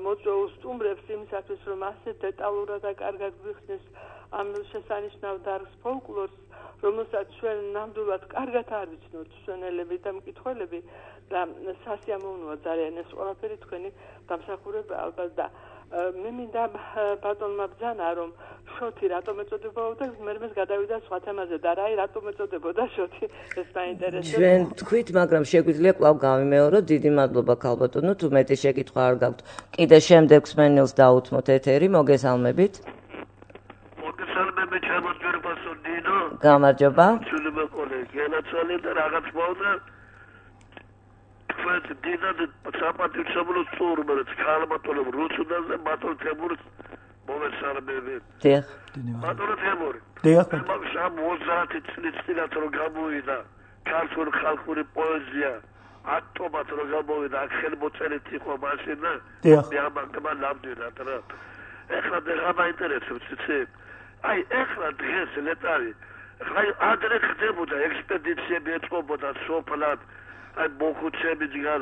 Speaker 5: მოწვეულ სტუმრებს იმისათვის, რომ ასე დეტალურად და კარგად გვიხსნეს ამ შესანიშნავ დარგს ფოლკლორს, რომელსაც ჩვენ ნამდვილად კარგად არ ვიცნობთ მსმენელები და მკითხველები და სასიამოვნოა ძალიან ეს ყველაფერი თქვენი დამსახურება ალბათ და მე მინდა ბატონმა ბრძანა რომ შოთი რატომ ეწოდებოდა და მერმეს გადავიდა სხვა თემაზე და რა რატომ ეწოდებოდა შოთი ეს მაინტერესებს.
Speaker 2: ჩვენ თქვით, მაგრამ შეგვიძლია კვლავ გავიმეოროთ. დიდი მადლობა ქალბატონო, თუ მეტი შეკითხვა არ გაქვთ. კიდე შემდეგ სმენელს დაუთმოთ ეთერი, მოგესალმებით.
Speaker 6: მოგესალმებით ჩემო ძვირფასო დინო.
Speaker 2: გამარჯობა.
Speaker 6: სულება კოლეგი, ენაცვალე და რაღაც მოვდა. თქვენ დინად საპატივცემლო სტუმრებს ქალბატონო რუსუდანზე ბატონ თემურს მოგესალმებით.
Speaker 2: დიახ.
Speaker 6: ბატონო თემური.
Speaker 4: დიახ.
Speaker 6: ამ ოცდაათი წლის წინათ რომ გამოვიდა ქართული ხალხური პოეზია ატომად რომ გამოვიდა აქ ხელმოწერით იყო მაშინ და მე ამაგმა ნამდვილად რა. ეხლა და მაინტერესებს იცი? აი ეხლა დღეს ლეტარი აი ადრე ხდებოდა ექსპედიციები ეწყობოდა სოფლად აი მოხუცები ჯგარ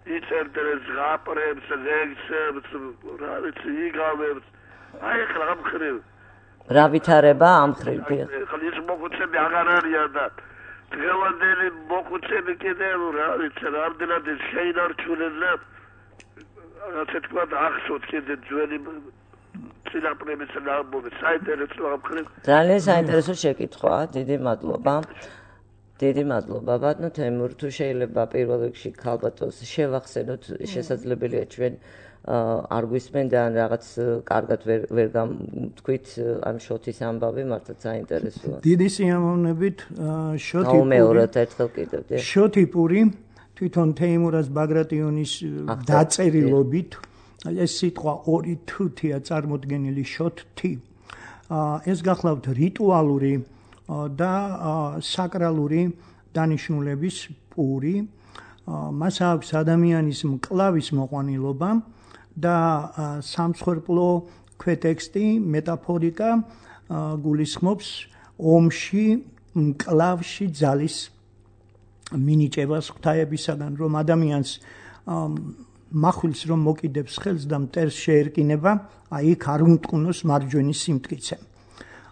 Speaker 6: იწერდნენ ზღაპრებს, ლექსებს, რა ვიცი, იგავებს. აი ეხლა ამ ხრივ
Speaker 2: რა ვითარება ამ ხრივ?
Speaker 6: ეხლა ის მოხუცები აღარ არიან და დღევანდელი მოხუცები კიდევ რა ვიცი, რამდენად შეინარჩუნეს და ასე თქვა ახსოვთ კიდე ძველი წინაპრების ნამბობი, საინტერესო ამ ხრივ.
Speaker 2: ძალიან საინტერესო შეკითხვაა, დიდი მადლობა. დიდი მადლობა ბატონო თემურ, თუ შეიძლება პირველ რიგში ქალბატონს შევახსენოთ, შესაძლებელია ჩვენ არ გვისმენ და რაღაც კარგად ვერ ვერ თქვით ამ შოთის ამბავი, მართლა საინტერესოა.
Speaker 4: დიდი სიამოვნებით შოთი პური.
Speaker 2: გაუმეოროთ ერთხელ კიდევ.
Speaker 4: შოთი პური თვითონ თეიმურაზ ბაგრატიონის დაწერილობით ეს სიტყვა ორი თუთია წარმოდგენილი შოთი. ეს გახლავთ რიტუალური და საკრალური დანიშნულების პური. მას აქვს ადამიანის მკლავის მოყვანილობა და სამსხვერპლო ქვეტექსტი, მეტაფორიკა გულისხმობს ომში მკლავში ძალის მინიჭებას ღვთაებისაგან, რომ ადამიანს מחვილს რომ მოკიდებს ხელს და მტერს შეერკინება, აი იქ არ უმტყუნოს მარჯვენის სიმტკიცე.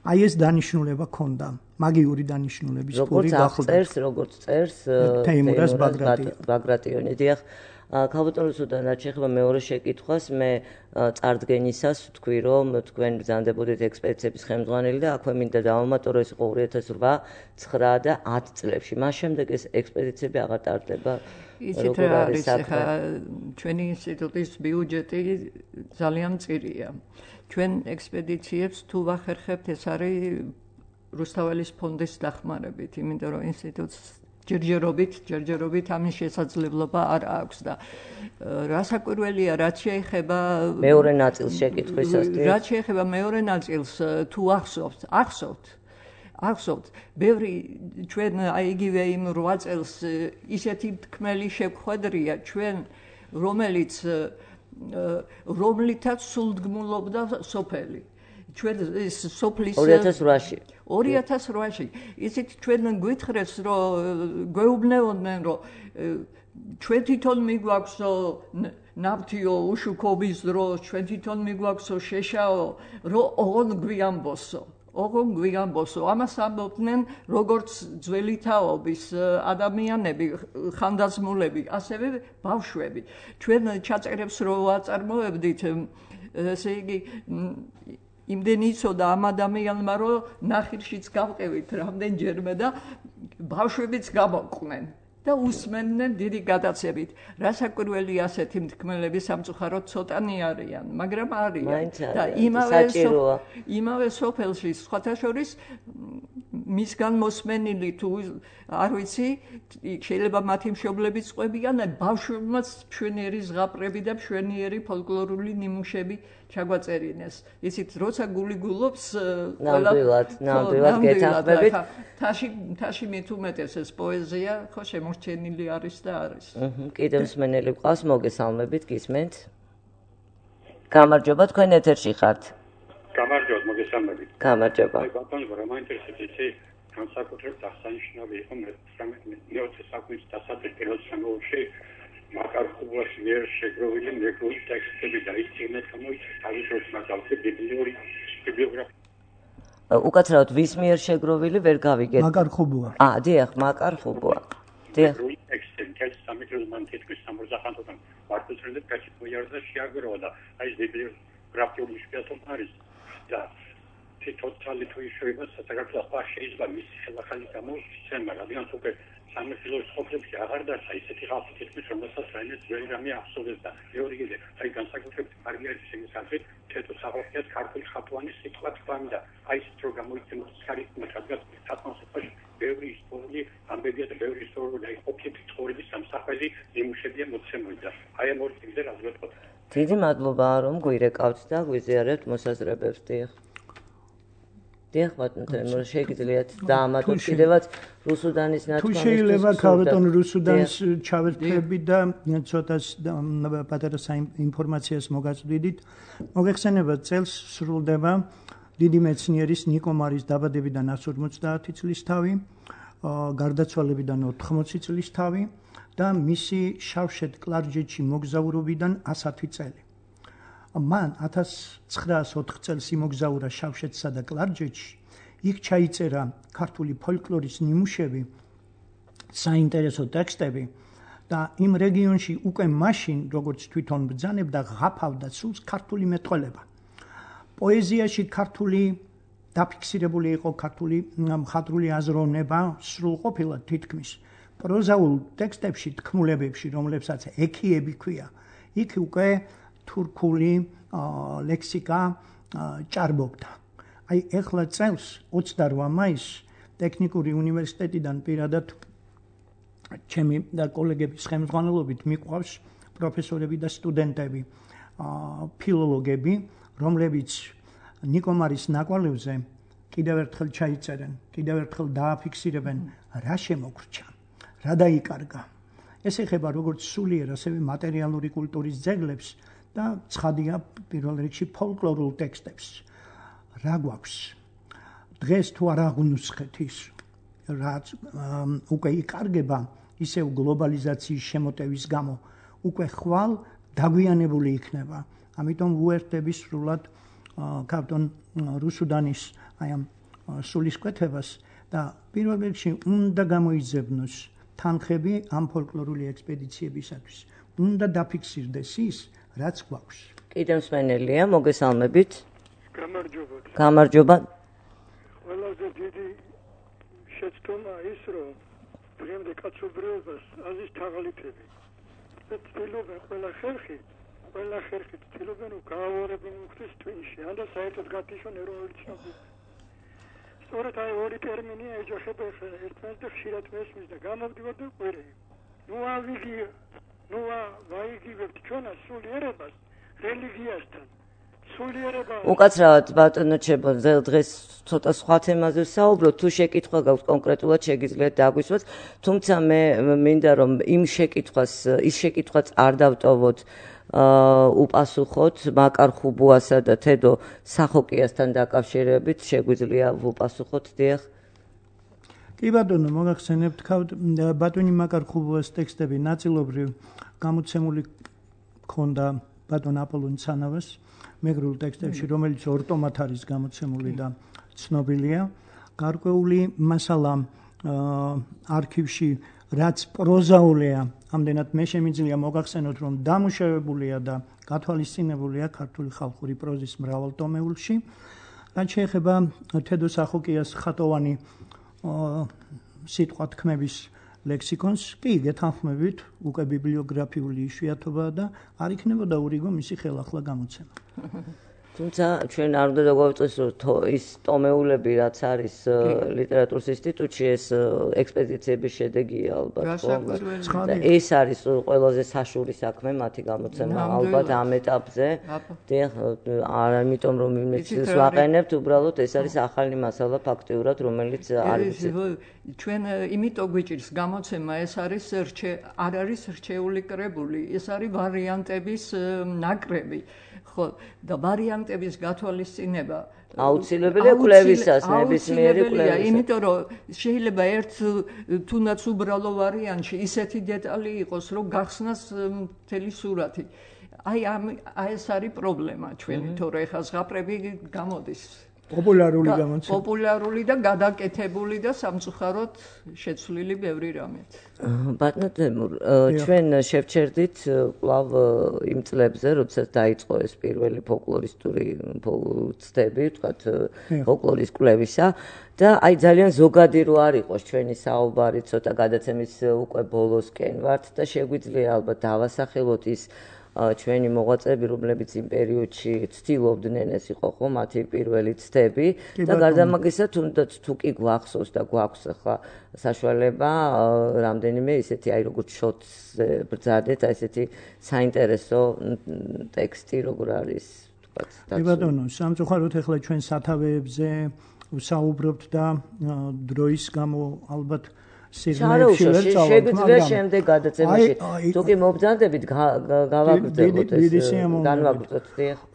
Speaker 4: აი ეს დანიშნულება ქონდა, მაგიური დანიშნულების პური
Speaker 2: გახლდათ. როგორც წერს, როგორც წერს
Speaker 4: თეიმურაზ
Speaker 2: ბაგრატიონი. დიახ, ქალბატონ რუსუდან, რაც შეეხება მეორე შეკითხვას, მე წარდგენისას ვთქვი, რომ თქვენ ბრძანდებოდით ექსპედიციების ხელმძღვანელი და აქვე მინდა დავამატო, ეს იყო ორი ათას ოთხ, ცხრა და ათ წლებში. მას შემდეგ ეს ექსპედიციები აღარ ტარდება.
Speaker 3: იცით რა არის ახლა ჩვენი ინსტიტუტის ბიუჯეტი ძალიან მწირია. ჩვენ ექსპედიციებს თუ ვახერხებთ, ეს არის რუსთაველის ფონდის დახმარებით, იმიტომ რომ ინსტიტუტს ჯერჯერობით, ჯერჯერობით ამის შესაძლებლობა არ აქვს და რასაკვირველია, რაც შეეხება
Speaker 2: მეორე ნაწილს შეკითხვისას,
Speaker 3: რაც შეეხება მეორე ნაწილს, თუ ახსოვთ, ახსოვთ ახსოვთ, ბევრი ჩვენ აი იგივე იმ რვა წელს ისეთი თქმელი შეგხვედრია ჩვენ, რომელიც რომლითაც სულდგმულობდა სოფელი. ჩვენ ეს სოფლის
Speaker 2: ორი ათას რვაში
Speaker 3: ორი ათას რვაში ისიც ჩვენ გვითხრეს რომ გვეუბნეოდნენ რომ ჩვენ თვითონ მიგვაქვსო ნავთიო უშუქობის დროს ჩვენ თვითონ მიგვაქვსო შეშაო რომ ოღონ გვიამბოსო ოღონ გვიამბოსო ამას ამბობდნენ როგორც ძველი თაობის ადამიანები ხანდაზმულები ასევე ბავშვები ჩვენ ჩაწერებს რო აწარმოებდით ესე იგი იმდენი იცოდა ამ ადამიანმა რომ ნახირშიც გავყევით რამდენჯერმე და ბავშვებიც გამოყვნენ და უსმენდნენ დიდი გადაცებით. რასაკვირველია ასეთი მთქმელები სამწუხაროდ ცოტანი არიან, მაგრამ არიან და იმავე იმავე სოფელში სხვათა შორის მისგან მოსმენილი თუ არ ვიცი, შეიძლება მათი მშობლებიც ყვებიან, ბავშვებმაც მშვენიერი ზღაპრები და მშვენიერი ფოლკლორული ნიმუშები ჩაგვაწერინეს. იცით, როცა გული გულობს,
Speaker 2: ნამდვილად, ნამდვილად გეთანხმებით.
Speaker 3: თაში თაში მით უმეტეს ეს პოეზია, ხო შემორჩენილი არის და არის.
Speaker 2: კიდევ მსმენელი გვყავს, მოგესალმებით, გისმენთ. გამარჯობა, თქვენ ეთერში ხართ.
Speaker 7: გამარჯობა, მოგესალმებით.
Speaker 2: გამარჯობა.
Speaker 7: აი, ბატონო, რა მაინტერესებს იცი, განსაკუთრებით აღსანიშნავი იყო მეოცე საუკუნის დასაწყის პირველ შემოვლში მაკარ ხუბლაში მიერ შეგროვილი მეგრული ტექსტები და ის წიგნად გამოიცა თავისუფლად მაგალითად ბიბლიური ბიბლიოგრაფია.
Speaker 2: უკაცრავად ვის მიერ შეგროვილი ვერ გავიგეთ.
Speaker 4: მაკარ ხუბლა.
Speaker 2: აა, დიახ, მაკარ ხუბლა. დიახ.
Speaker 7: ტექსტები კაც სამეტროს მანტიტკის სამურზახანთოდან მარტოსრეზე კაც მოიარდა შეაგროვა და აი ეს ბიბლიოგრაფიული შეფასება არის და თითოეული თუ ისევ საქართველოს ახლა შეიძლება მისი ხელახალი გამოსცემა, რადგან უკვე სამეფოს ყოფლებში აღარ დარჩა ისეთი ხალხი თითქმის რომელსაც რაიმე ძველი რამე ახსოვდეს და მეორე კიდე აი განსაკუთრებით მარგარეტის შესახებ თეთრ სახელმწიფოს ქართული ხატვანის სიტყვა თქვამი და აი ეს რო გამოიცემს ხარისხმა რადგან სათანადო ბევრი ისტორიული ამბებია და ბევრი ისტორიული აი ყოფილი ცხოვრების სამსახური ნიმუშებია მოცემული და აი ამ ორი წიგნზე რა ვეთქოთ.
Speaker 2: დიდი მადლობა რომ გვირეკავთ და გვიზიარებთ მოსაზრებებს. დიახ. დიახ, ბატონო, შეგიძლიათ დაამატოთ კიდევაც რუსუდანის ნათქვამის.
Speaker 4: თუ შეიძლება ქალბატონ რუსუდანს ჩავერთები და ცოტა პატარა ინფორმაციას მოგაწვდიდით. მოგეხსენებათ, წელს სრულდება დიდი მეცნიერის ნიკო მარის დაბადებიდან ოცდაათი წლის თავი, გარდაცვალებიდან ოთხმოცი წლის თავი და მისი შავშეთ კლარჯეთში მოგზაურობიდან ასათი წელი. მან ათას ცხრაას ოთხ წელს იმოგზაურა შავშეთსა და კლარჯეთში, იქ ჩაიწერა ქართული ფოლკლორის ნიმუშები, საინტერესო ტექსტები და იმ რეგიონში უკვე მაშინ, როგორც თვითონ ბრძანებდა, ღაფავდა სულს ქართული მეტყველება. პოეზიაში ქართული დაფიქსირებული იყო ქართული მხატვრული აზროვნება სრულყოფილად თითქმის. პროზაულ ტექსტებში, თქმულებებში, რომლებსაც ექიები ქვია, იქ უკვე თურქული ლექსიკა ჭარბობდა. აი ეხლა წელს ოცდარვა მაისს ტექნიკური უნივერსიტეტიდან პირადად ჩემი და კოლეგების ხელმძღვანელობით მიყვავს პროფესორები და სტუდენტები, ფილოლოგები, რომლებიც ნიკო მარის ნაკვალევზე კიდევ ერთხელ ჩაიწერენ, კიდევ ერთხელ დააფიქსირებენ რა შემოგრჩა, რა დაიკარგა. ეს ეხება როგორც სულიერ, ასევე მატერიალური კულტურის ძეგლებს და ცხადია პირველ რიგში ფოლკლორულ ტექსტებს. რა გვაქვს? დღეს თუ არ აღუნუსხეთ ის, რაც უკვე იკარგება ისევ გლობალიზაციის შემოტევის გამო, უკვე ხვალ დაგვიანებული იქნება. ამიტომ უერთდები სრულად ქალბატონ რუსუდანის აი ამ სულისკვეთებას და პირველ რიგში უნდა გამოიძებნოს თანხები ამ ფოლკლორული ექსპედიციებისათვის. უნდა დაფიქსირდეს ის, რაც გვაქვს.
Speaker 2: კიდევ მსმენელია, მოგესალმებით.
Speaker 6: გამარჯობა.
Speaker 2: გამარჯობა.
Speaker 6: ყველაზე დიდი შეცდომა ის, რომ დღემდე კაცობრიობას აზის თაღლითები. ცდილობენ ყველა ხერხი, ყველა ხერხი ცდილობენ რომ გაავარებენ მუხტის ტვინში, ან და საერთოდ გათიშონ ეროვნული ცნობები.
Speaker 8: სწორედ აი ორი ტერმინია ეჯახება ერთმანეთს და ხშირად მესმის და გამოვდივარ და ყვირე. ნუ ავიგი, ნუ ვაიგივებთ ჩვენას სულიერებას რელიგიასთან.
Speaker 2: უკაცრავად ბატონო ჩებო დღეს ცოტა სხვა თემაზე ვსაუბრობ თუ შეკითხვა გაქვს კონკრეტულად შეგიძლიათ დაგვისვათ თუმცა მე მინდა რომ იმ შეკითხვას ის შეკითხვაც არ დავტოვოთ უპასუხოთ მაკარ ხუბუასა და თედო სახოკიასთან დაკავშირებით შეგვიძლია ვუპასუხოთ დიახ
Speaker 4: კი ბატონო მოგახსენებთ ბატონი მაკარ ხუბუას ტექსტები ნაწილობრივ გამოცემული ქონდა ბატონ აპოლონ ცანავას მეგრულ ტექსტებში, რომელიც ორტომად არის გამოცემული და ცნობილია. გარკვეული მასალა არქივში, რაც პროზაულია, ამდენად მე შემიძლია მოგახსენოთ, რომ დამუშავებულია და გათვალისწინებულია ქართული ხალხური პროზის მრავალტომეულში. რაც შეეხება თედო სახოკიას ხატოვანი სიტყვა თქმების ლექსიკონს, კი გეთანხმებით, უკვე ბიბლიოგრაფიული იშვიათობაა და არ იქნებოდა ურიგო მისი ხელახლა გამოცემა.
Speaker 2: თუმცა ჩვენ არ უნდა დაგვავიწყდეს რომ ის ტომეულები რაც არის ლიტერატურის ინსტიტუტში ეს ექსპედიციების შედეგია ალბათ და ეს არის ყველაზე საშუალო საქმე მათი გამოცემა ალბათ ამ ეტაპზე არ ამიტომ რომ იმეცილს ვაყენებთ უბრალოდ ეს არის ახალი მასალა ფაქტიურად რომელიც არის
Speaker 3: ჩვენ იმიტომ გვიჭირს გამოცემა ეს არის არ არის რჩეული კრებული ეს არის ვარიანტების ნაკრები ხო და ვარიანტების გათვალისწინება
Speaker 2: აუცილებელია კვლევისას ნებისმიერი კვლევისა
Speaker 3: იმიტომ რომ შეიძლება ერთ თუნდაც უბრალო ვარიანტში ისეთი დეტალი იყოს რომ გახსნას მთელი სურათი აი ამ ეს არის პრობლემა ჩვენი თორე ეხა ზღაპრები გამოდის
Speaker 4: პოპულარული გამოცემა
Speaker 3: პოპულარული და გადაკეთებული და სამწუხაროდ შეცვლილი ბევრი რამეთ
Speaker 2: ბატონო თემურ ჩვენ შევჩერდით კვლავ იმ წლებზე როდესაც დაიწყო ეს პირველი ფოლკლორისტული ცდები ვთქვათ ფოლკლორის კვლევისა და აი ძალიან ზოგადი რო არ იყოს ჩვენი საუბარი ცოტა გადაცემის უკვე ბოლოსკენ ვართ და შეგვიძლია ალბათ დავასახელოთ ის ჩვენი მოღვაწეები, რომლებიც იმ პერიოდში ცდილობდნენ ეს იყო ხო მათი პირველი ცდები და გარდა ამისა თუნდაც თუ კი გვახსოვს და გვაქვს ახლა საშუალება რამდენიმე ისეთი აი როგორც შოტს ბრძადეთ აი ესეთი საინტერესო ტექსტი როგორ არის თქვათ
Speaker 4: კი ბატონო სამწუხაროდ ახლა ჩვენ სათავეებზე ვსაუბრობთ და დროის გამო ალბათ
Speaker 2: შეგვიძლია შემდეგ გადაცემაში თუკი მობრძანდებით გავაგრძელოთ ეს განვაგრძოთ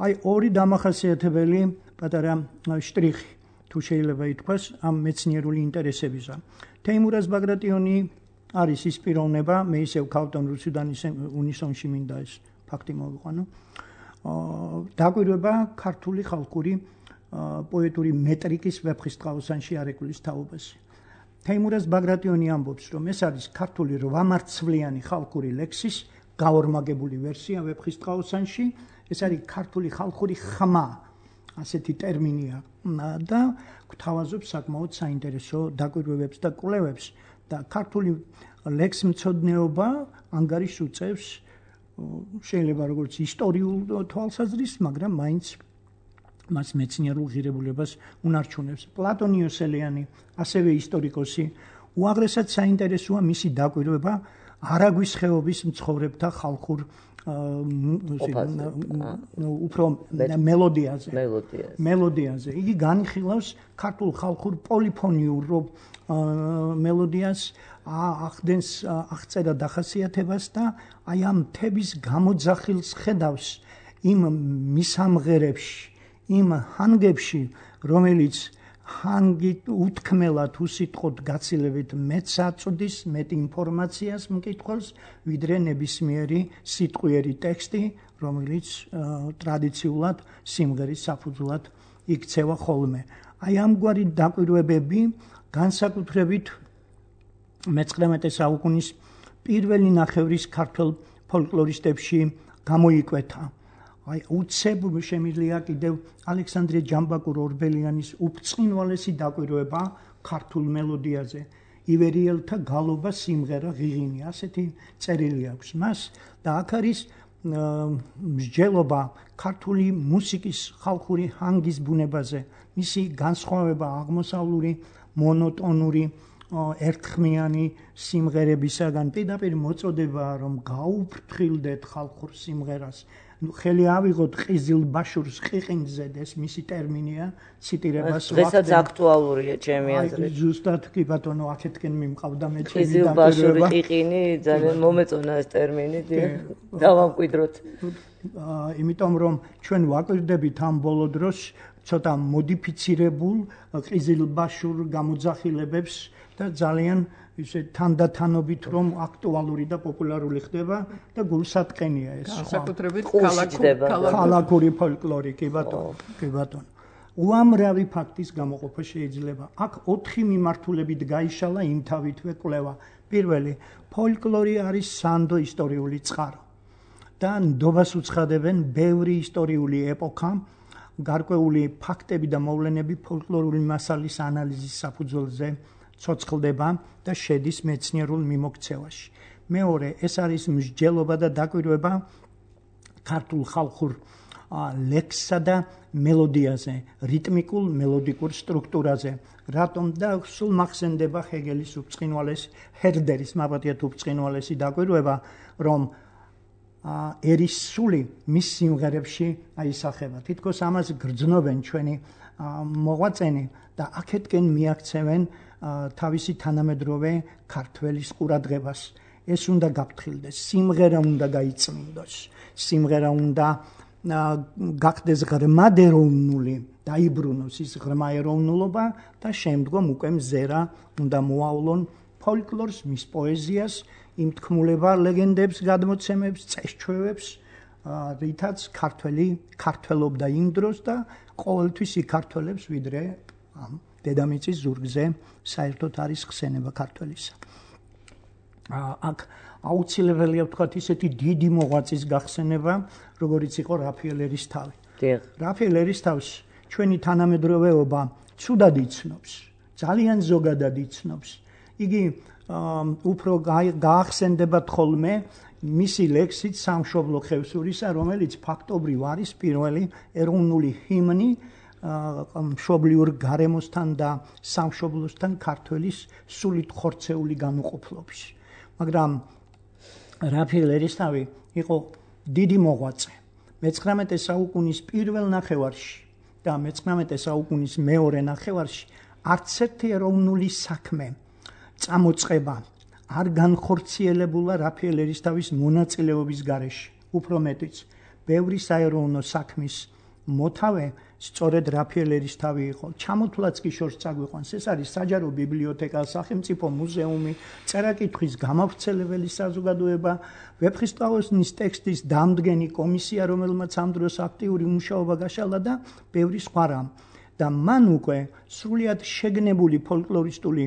Speaker 4: აი ორი დამახასიათებელი პატარა შტრიხი თუ შეიძლება ითქვას ამ მეცნიერული ინტერესებისა თეიმურაზ ბაგრატიონი არის ის პიროვნება მე ისევ ქავტონ რუსუდანის უნისონში მინდა ეს ფაქტი მოვიყვანო დაკვირვება ქართული ხალხური პოეტური მეტრიკის ვეფხისტყაოსანში არეკულის თაობაზე თეიმურაზ ბაგრატიონი ამბობს, რომ ეს არის ქართული რვამარცვლიანი ხალხური ლექსის გაორმაგებული ვერსია ვეფხისტყაოსანში, ეს არის ქართული ხალხური ხმა, ასეთი ტერმინია და გვთავაზობს საკმაოდ საინტერესო დაკვირვებებს და კვლევებს და ქართული ლექსმცოდნეობა ანგარიშს უწევს შეიძლება როგორც ისტორიულ თვალსაზრისით, მაგრამ მაინც მას მეცნიერულ ღირებულებას უნარჩუნებს. პლატონ იოსელიანი, ასევე ისტორიკოსი, უაღრესად საინტერესოა მისი დაკვირვება არაგვის ხეობის მცხოვრებთა ხალხურ უფრო მელოდიაზე. მელოდიაზე. იგი განიხილავს ქართულ ხალხურ პოლიფონიურ მელოდიას, ახდენს აღწერა დახასიათებას და აი ამ მთების გამოძახილს ხედავს იმ მისამღერებში იმ ჰანგებში, რომელიც ჰანგით უთქმელად უსიტყვოდ გაცილებით მეტს აწვდის, მეტ ინფორმაციას მკითხველს, ვიდრე ნებისმიერი სიტყვიერი ტექსტი, რომელიც ტრადიციულად სიმღერის საფუძვლად იქცევა ხოლმე. აი ამგვარი დაკვირვებები განსაკუთრებით მეცხრამეტე საუკუნის პირველი ნახევრის ქართველ ფოლკლორისტებში გამოიკვეთა. აი უცებ შემიძლია კიდევ ალექსანდრე ჯამბაკურ-ორბელიანის უბრწყინვალესი დაკვირვება ქართულ მელოდიაზე ივერიელთა გალობა სიმღერა ღიღინი ასეთი წერილი აქვს მას და აქ არის მსჯელობა ქართული მუსიკის ხალხური ჰანგის ბუნებაზე, მისი განსხვავება აღმოსავლური მონოტონური ერთხმიანი სიმღერებისაგან, პირდაპირ მოწოდება რომ გაუფრთხილდეთ ხალხურ სიმღერას. ხელი ავიღოთ ყიზილბაშურს ყიყინძედ, ეს მისი ტერმინია, ციტირებას
Speaker 2: ვახდენ. დღესაც აქტუალურია ჩემი აზრით.
Speaker 4: ზუსტად კი ბატონო, აქეთკენ მიმყავდა მე ჩემი
Speaker 2: ყიზილბაშური ყიყინი, ძალიან მომეწონა ეს ტერმინი, დავამკვიდროთ.
Speaker 4: იმიტომ რომ ჩვენ ვაკვირდებით ამ ბოლო დროს ცოტა მოდიფიცირებულ ყიზილბაშურ გამოძახილებებს და ძალიან ისე თანდათანობით რომ აქტუალური და პოპულარული ხდება და გულსატკენია ეს.
Speaker 3: განსაკუთრებით
Speaker 4: ქალაქური ფოლკლორი, კი ბატონო, კი ბატონო. უამრავი ფაქტის გამოყოფა შეიძლება. აქ ოთხი მიმართულებით გაიშალა იმთავითვე კვლევა. პირველი, ფოლკლორი არის სანდო ისტორიული წყარო და ნდობას უცხადებენ ბევრი ისტორიული ეპოქა, გარკვეული ფაქტები და მოვლენები ფოლკლორული მასალის ანალიზის საფუძველზე ცოცხლდება და შედის მეცნიერულ მიმოქცევაში. მეორე, ეს არის მსჯელობა და დაკვირვება ქართულ ხალხურ ლექსსა და მელოდიაზე, რიტმიკულ მელოდიკურ სტრუქტურაზე. რატომ და სულ მახსენდება ჰეგელის უბწყინვალეს, ჰერდერის მაბატიათ უბწყინვალესი დაკვირვება, რომ ერის სული მის სიმღერებში აისახება. თითქოს ამას გრძნობენ ჩვენი მოღვაწენი და აქეთკენ მიაქცევენ თავისი თანამედროვე ქართველის ყურადღებას. ეს უნდა გაფრთხილდეს, სიმღერა უნდა გაიწმინდოს, სიმღერა უნდა გახდეს ღრმად ეროვნული, დაიბრუნოს ის ღრმა ეროვნულობა და შემდგომ უკვე მზერა უნდა მოავლონ ფოლკლორს, მის პოეზიას, იმ თქმულება ლეგენდებს, გადმოცემებს, წესჩვევებს, რითაც ქართველი ქართველობდა იმ დროს და ყოველთვის იქართველებს, ვიდრე ამ დედამიწის ზურგზე საერთოდ არის ხსენება ქართველისა. აქ აუცილებელია ვთქვათ ისეთი დიდი მოღვაწის გახსენება, როგორიც იყო რაფაელ ერისთავი. რაფაელ ერისთავს ჩვენი თანამედროვეობა ცუდად იცნობს, ძალიან ზოგადად იცნობს. იგი უფრო გაახსენდება თხოლმე მისი ლექსით სამშობლო ხევსურისა, რომელიც ფაქტობრივ არის პირველი ეროვნული ჰიმნი მშობლიურ გარემოსთან და სამშობლოსთან ქართველის სულით ხორცეული განუყოფლობის. მაგრამ რაფაელ ერისთავი იყო დიდი მოღვაწე. მეცხრამეტე საუკუნის პირველ ნახევარში და მეცხრამეტე საუკუნის მეორე ნახევარში არც ერთი ეროვნული საქმე წამოწყება არ განხორციელებულა რაფაელ ერისთავის მონაწილეობის გარეშე. უფრო მეტიც, ბევრი საეროვნო საქმის მოთავე სწორედ რაფაელ ერისთავი იყო. ჩამოთვლაც კი შორს წაგვიყვანს, ეს არის საჯარო ბიბლიოთეკა, სახელმწიფო მუზეუმი, წერა-კითხვის გამავრცელებელი საზოგადოება, ვეფხისტყაოსნის ტექსტის დამდგენი კომისია, რომელმაც ამ დროს აქტიური მუშაობა გაშალა და ბევრი სხვა რამ. და მან უკვე სრულიად შეგნებული ფოლკლორისტული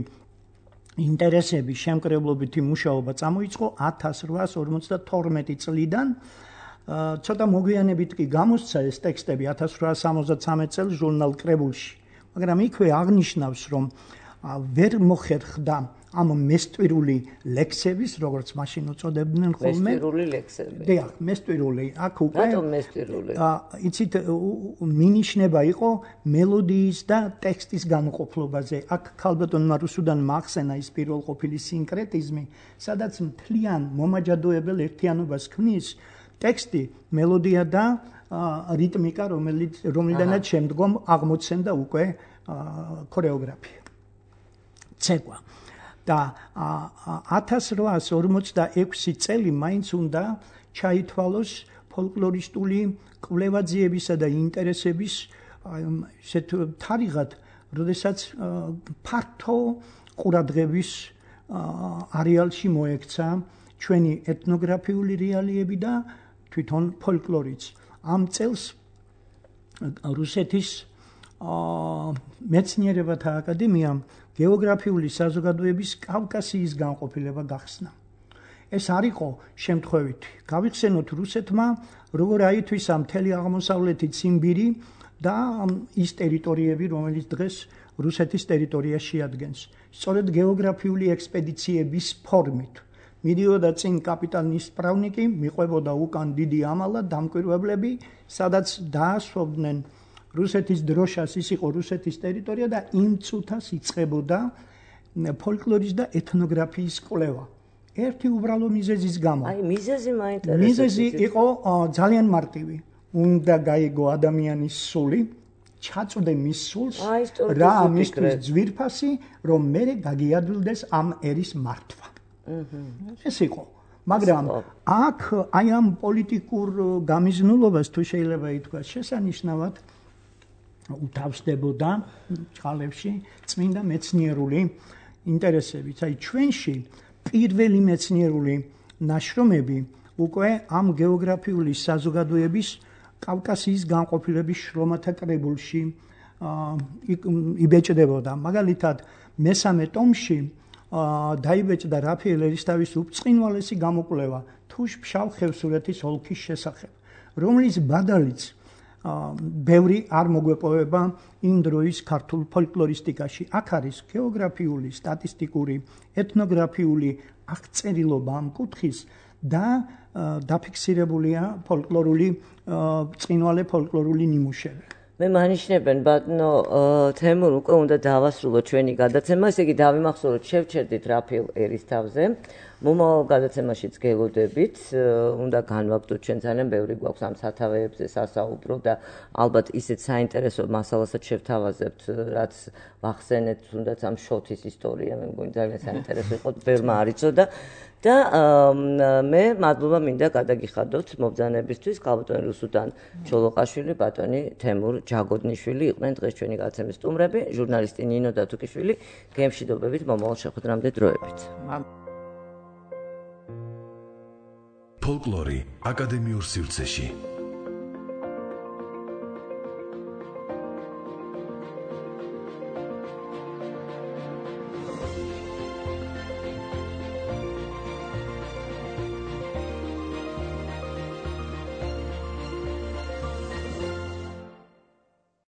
Speaker 4: ინტერესები, შემკრებლობითი მუშაობა წამოიწყო ათას რვაას ორმოცდათორმეტი წლიდან. ცოტა მოგვიანებით კი გამოსცა ეს ტექსტები ათას რვაას სამოცდათვრამეტ წელს ჟურნალ კრებულში, მაგრამ იქვე აღნიშნავს, რომ ვერ მოხერხდა ამ მესტვირული ლექსების, როგორც მაშინ უწოდებდნენ ხოლმე.
Speaker 2: მესტვირული ლექსები.
Speaker 4: დიახ, მესტვირული. აქ უკვე
Speaker 2: რატომ მესტვირული?
Speaker 4: იცით, მინიშნება იყო მელოდიის და ტექსტის განუყოფლობაზე. აქ ქალბატონმა რუსუდანმა ახსენა ის პირველყოფილი სინკრეტიზმი, სადაც მთლიან მომაჯადოებელ ერთიანობას ქმნის ტექსტი, მელოდია და რიტმიკა, რომელიც რომლიდანაც შემდგომ აღმოცენდა უკვე ქორეოგრაფია. ცეკვა. და ათას რვაას ორმოცდაექვსი წელი მაინც უნდა ჩაითვალოს ფოლკლორისტული კვლევაძიებისა და ინტერესების ისეთ თარიღად, როდესაც ფართო ყურადღების არეალში მოექცა ჩვენი ეთნოგრაფიული რეალიები და თვითონ ფოლკლორიც. ამ წელს რუსეთის მეცნიერებათა აკადემიამ გეოგრაფიული საზოგადოების კავკასიის განყოფილება გახსნა. ეს არ იყო შემთხვევითი. გავიხსენოთ რუსეთმა, როგორ აითვისა მთელი აღმოსავლეთი ციმბირი და ის ტერიტორიები, რომელიც დღეს რუსეთის ტერიტორიას შეადგენს. სწორედ გეოგრაფიული ექსპედიციების ფორმით მიდიოდა წინ კაპიტანის სპრავნიკი, მიყვებოდა უკან დიდი ამალა, დამკვირვებლები, სადაც დაასვობდნენ რუსეთის დროშას, ის იყო რუსეთის ტერიტორია და იმ წუთას იწყებოდა ფოლკლორის და ეთნოგრაფიის კვლევა. ერთი უბრალო მიზეზის გამო.
Speaker 2: აი, მიზეზი მაინტერესებს.
Speaker 4: მიზეზი იყო ძალიან მარტივი. უნდა გაიგო ადამიანის სული, ჩაწვდე მის სულს, რა ამისთვის ძვირფასი, რომ მერე გაგიადვილდეს ამ ერის მართვა. ეს იყო. მაგრამ აქ აი ამ პოლიტიკურ გამიზნულობას თუ შეიძლება ითქვას შესანიშნავად უთავსდებოდა წყალებში წმინდა მეცნიერული ინტერესებიც. აი ჩვენში პირველი მეცნიერული ნაშრომები უკვე ამ გეოგრაფიული საზოგადოების კავკასიის განყოფილების შრომათა კრებულში იბეჭდებოდა. მაგალითად, მესამე ტომში დაიბეჭდა რაფაელ ერისთავის უბწყინვალესი გამოკვლევა თუშ-ფშავ ხევსურეთის ოლქის შესახებ, რომლის ბადალიც ბევრი არ მოგვეპოვება იმ დროის ქართულ ფოლკლორისტიკაში. აქ არის გეოგრაფიული, სტატისტიკური, ეთნოგრაფიული აღწერილობა ამ კუთხის და დაფიქსირებულია ფოლკლორული ბრწყინვალე ფოლკლორული ნიმუშები.
Speaker 2: მე მანიშნებენ ბატონო თემურ უკვე უნდა დავასრულოთ ჩვენი გადაცემა, ესე იგი დავიმახსოვროთ, შევჩერდით რაფაელ ერისთავზე. მომავალ გადაცემაშიც გელოდებით, უნდა განვაგდოთ, ჩვენ ძალიან ბევრი გვაქვს ამ სათავეებზე სასაუბრო და ალბათ ისეთ საინტერესო მასალასაც შევთავაზებთ, რაც ვახსენეთ, თუნდაც ამ შოთის ისტორია, მე მგონი ძალიან საინტერესო იყო, ბევრმა არ იცოდა და მე მადლობა მინდა გადაგიხადოთ მობრძანებისთვის, ქალბატონი რუსუდან ჩოლოყაშვილი, ბატონი თემურ ჯაგოდნიშვილი იყვნენ დღეს ჩვენი გადაცემის სტუმრები, ჟურნალისტი ნინო დათუკიშვილი, გემშვიდობებით მომავალ შეხვედრამდე დროებით.
Speaker 1: ფოლკლორი აკადემიურ სივრცეში.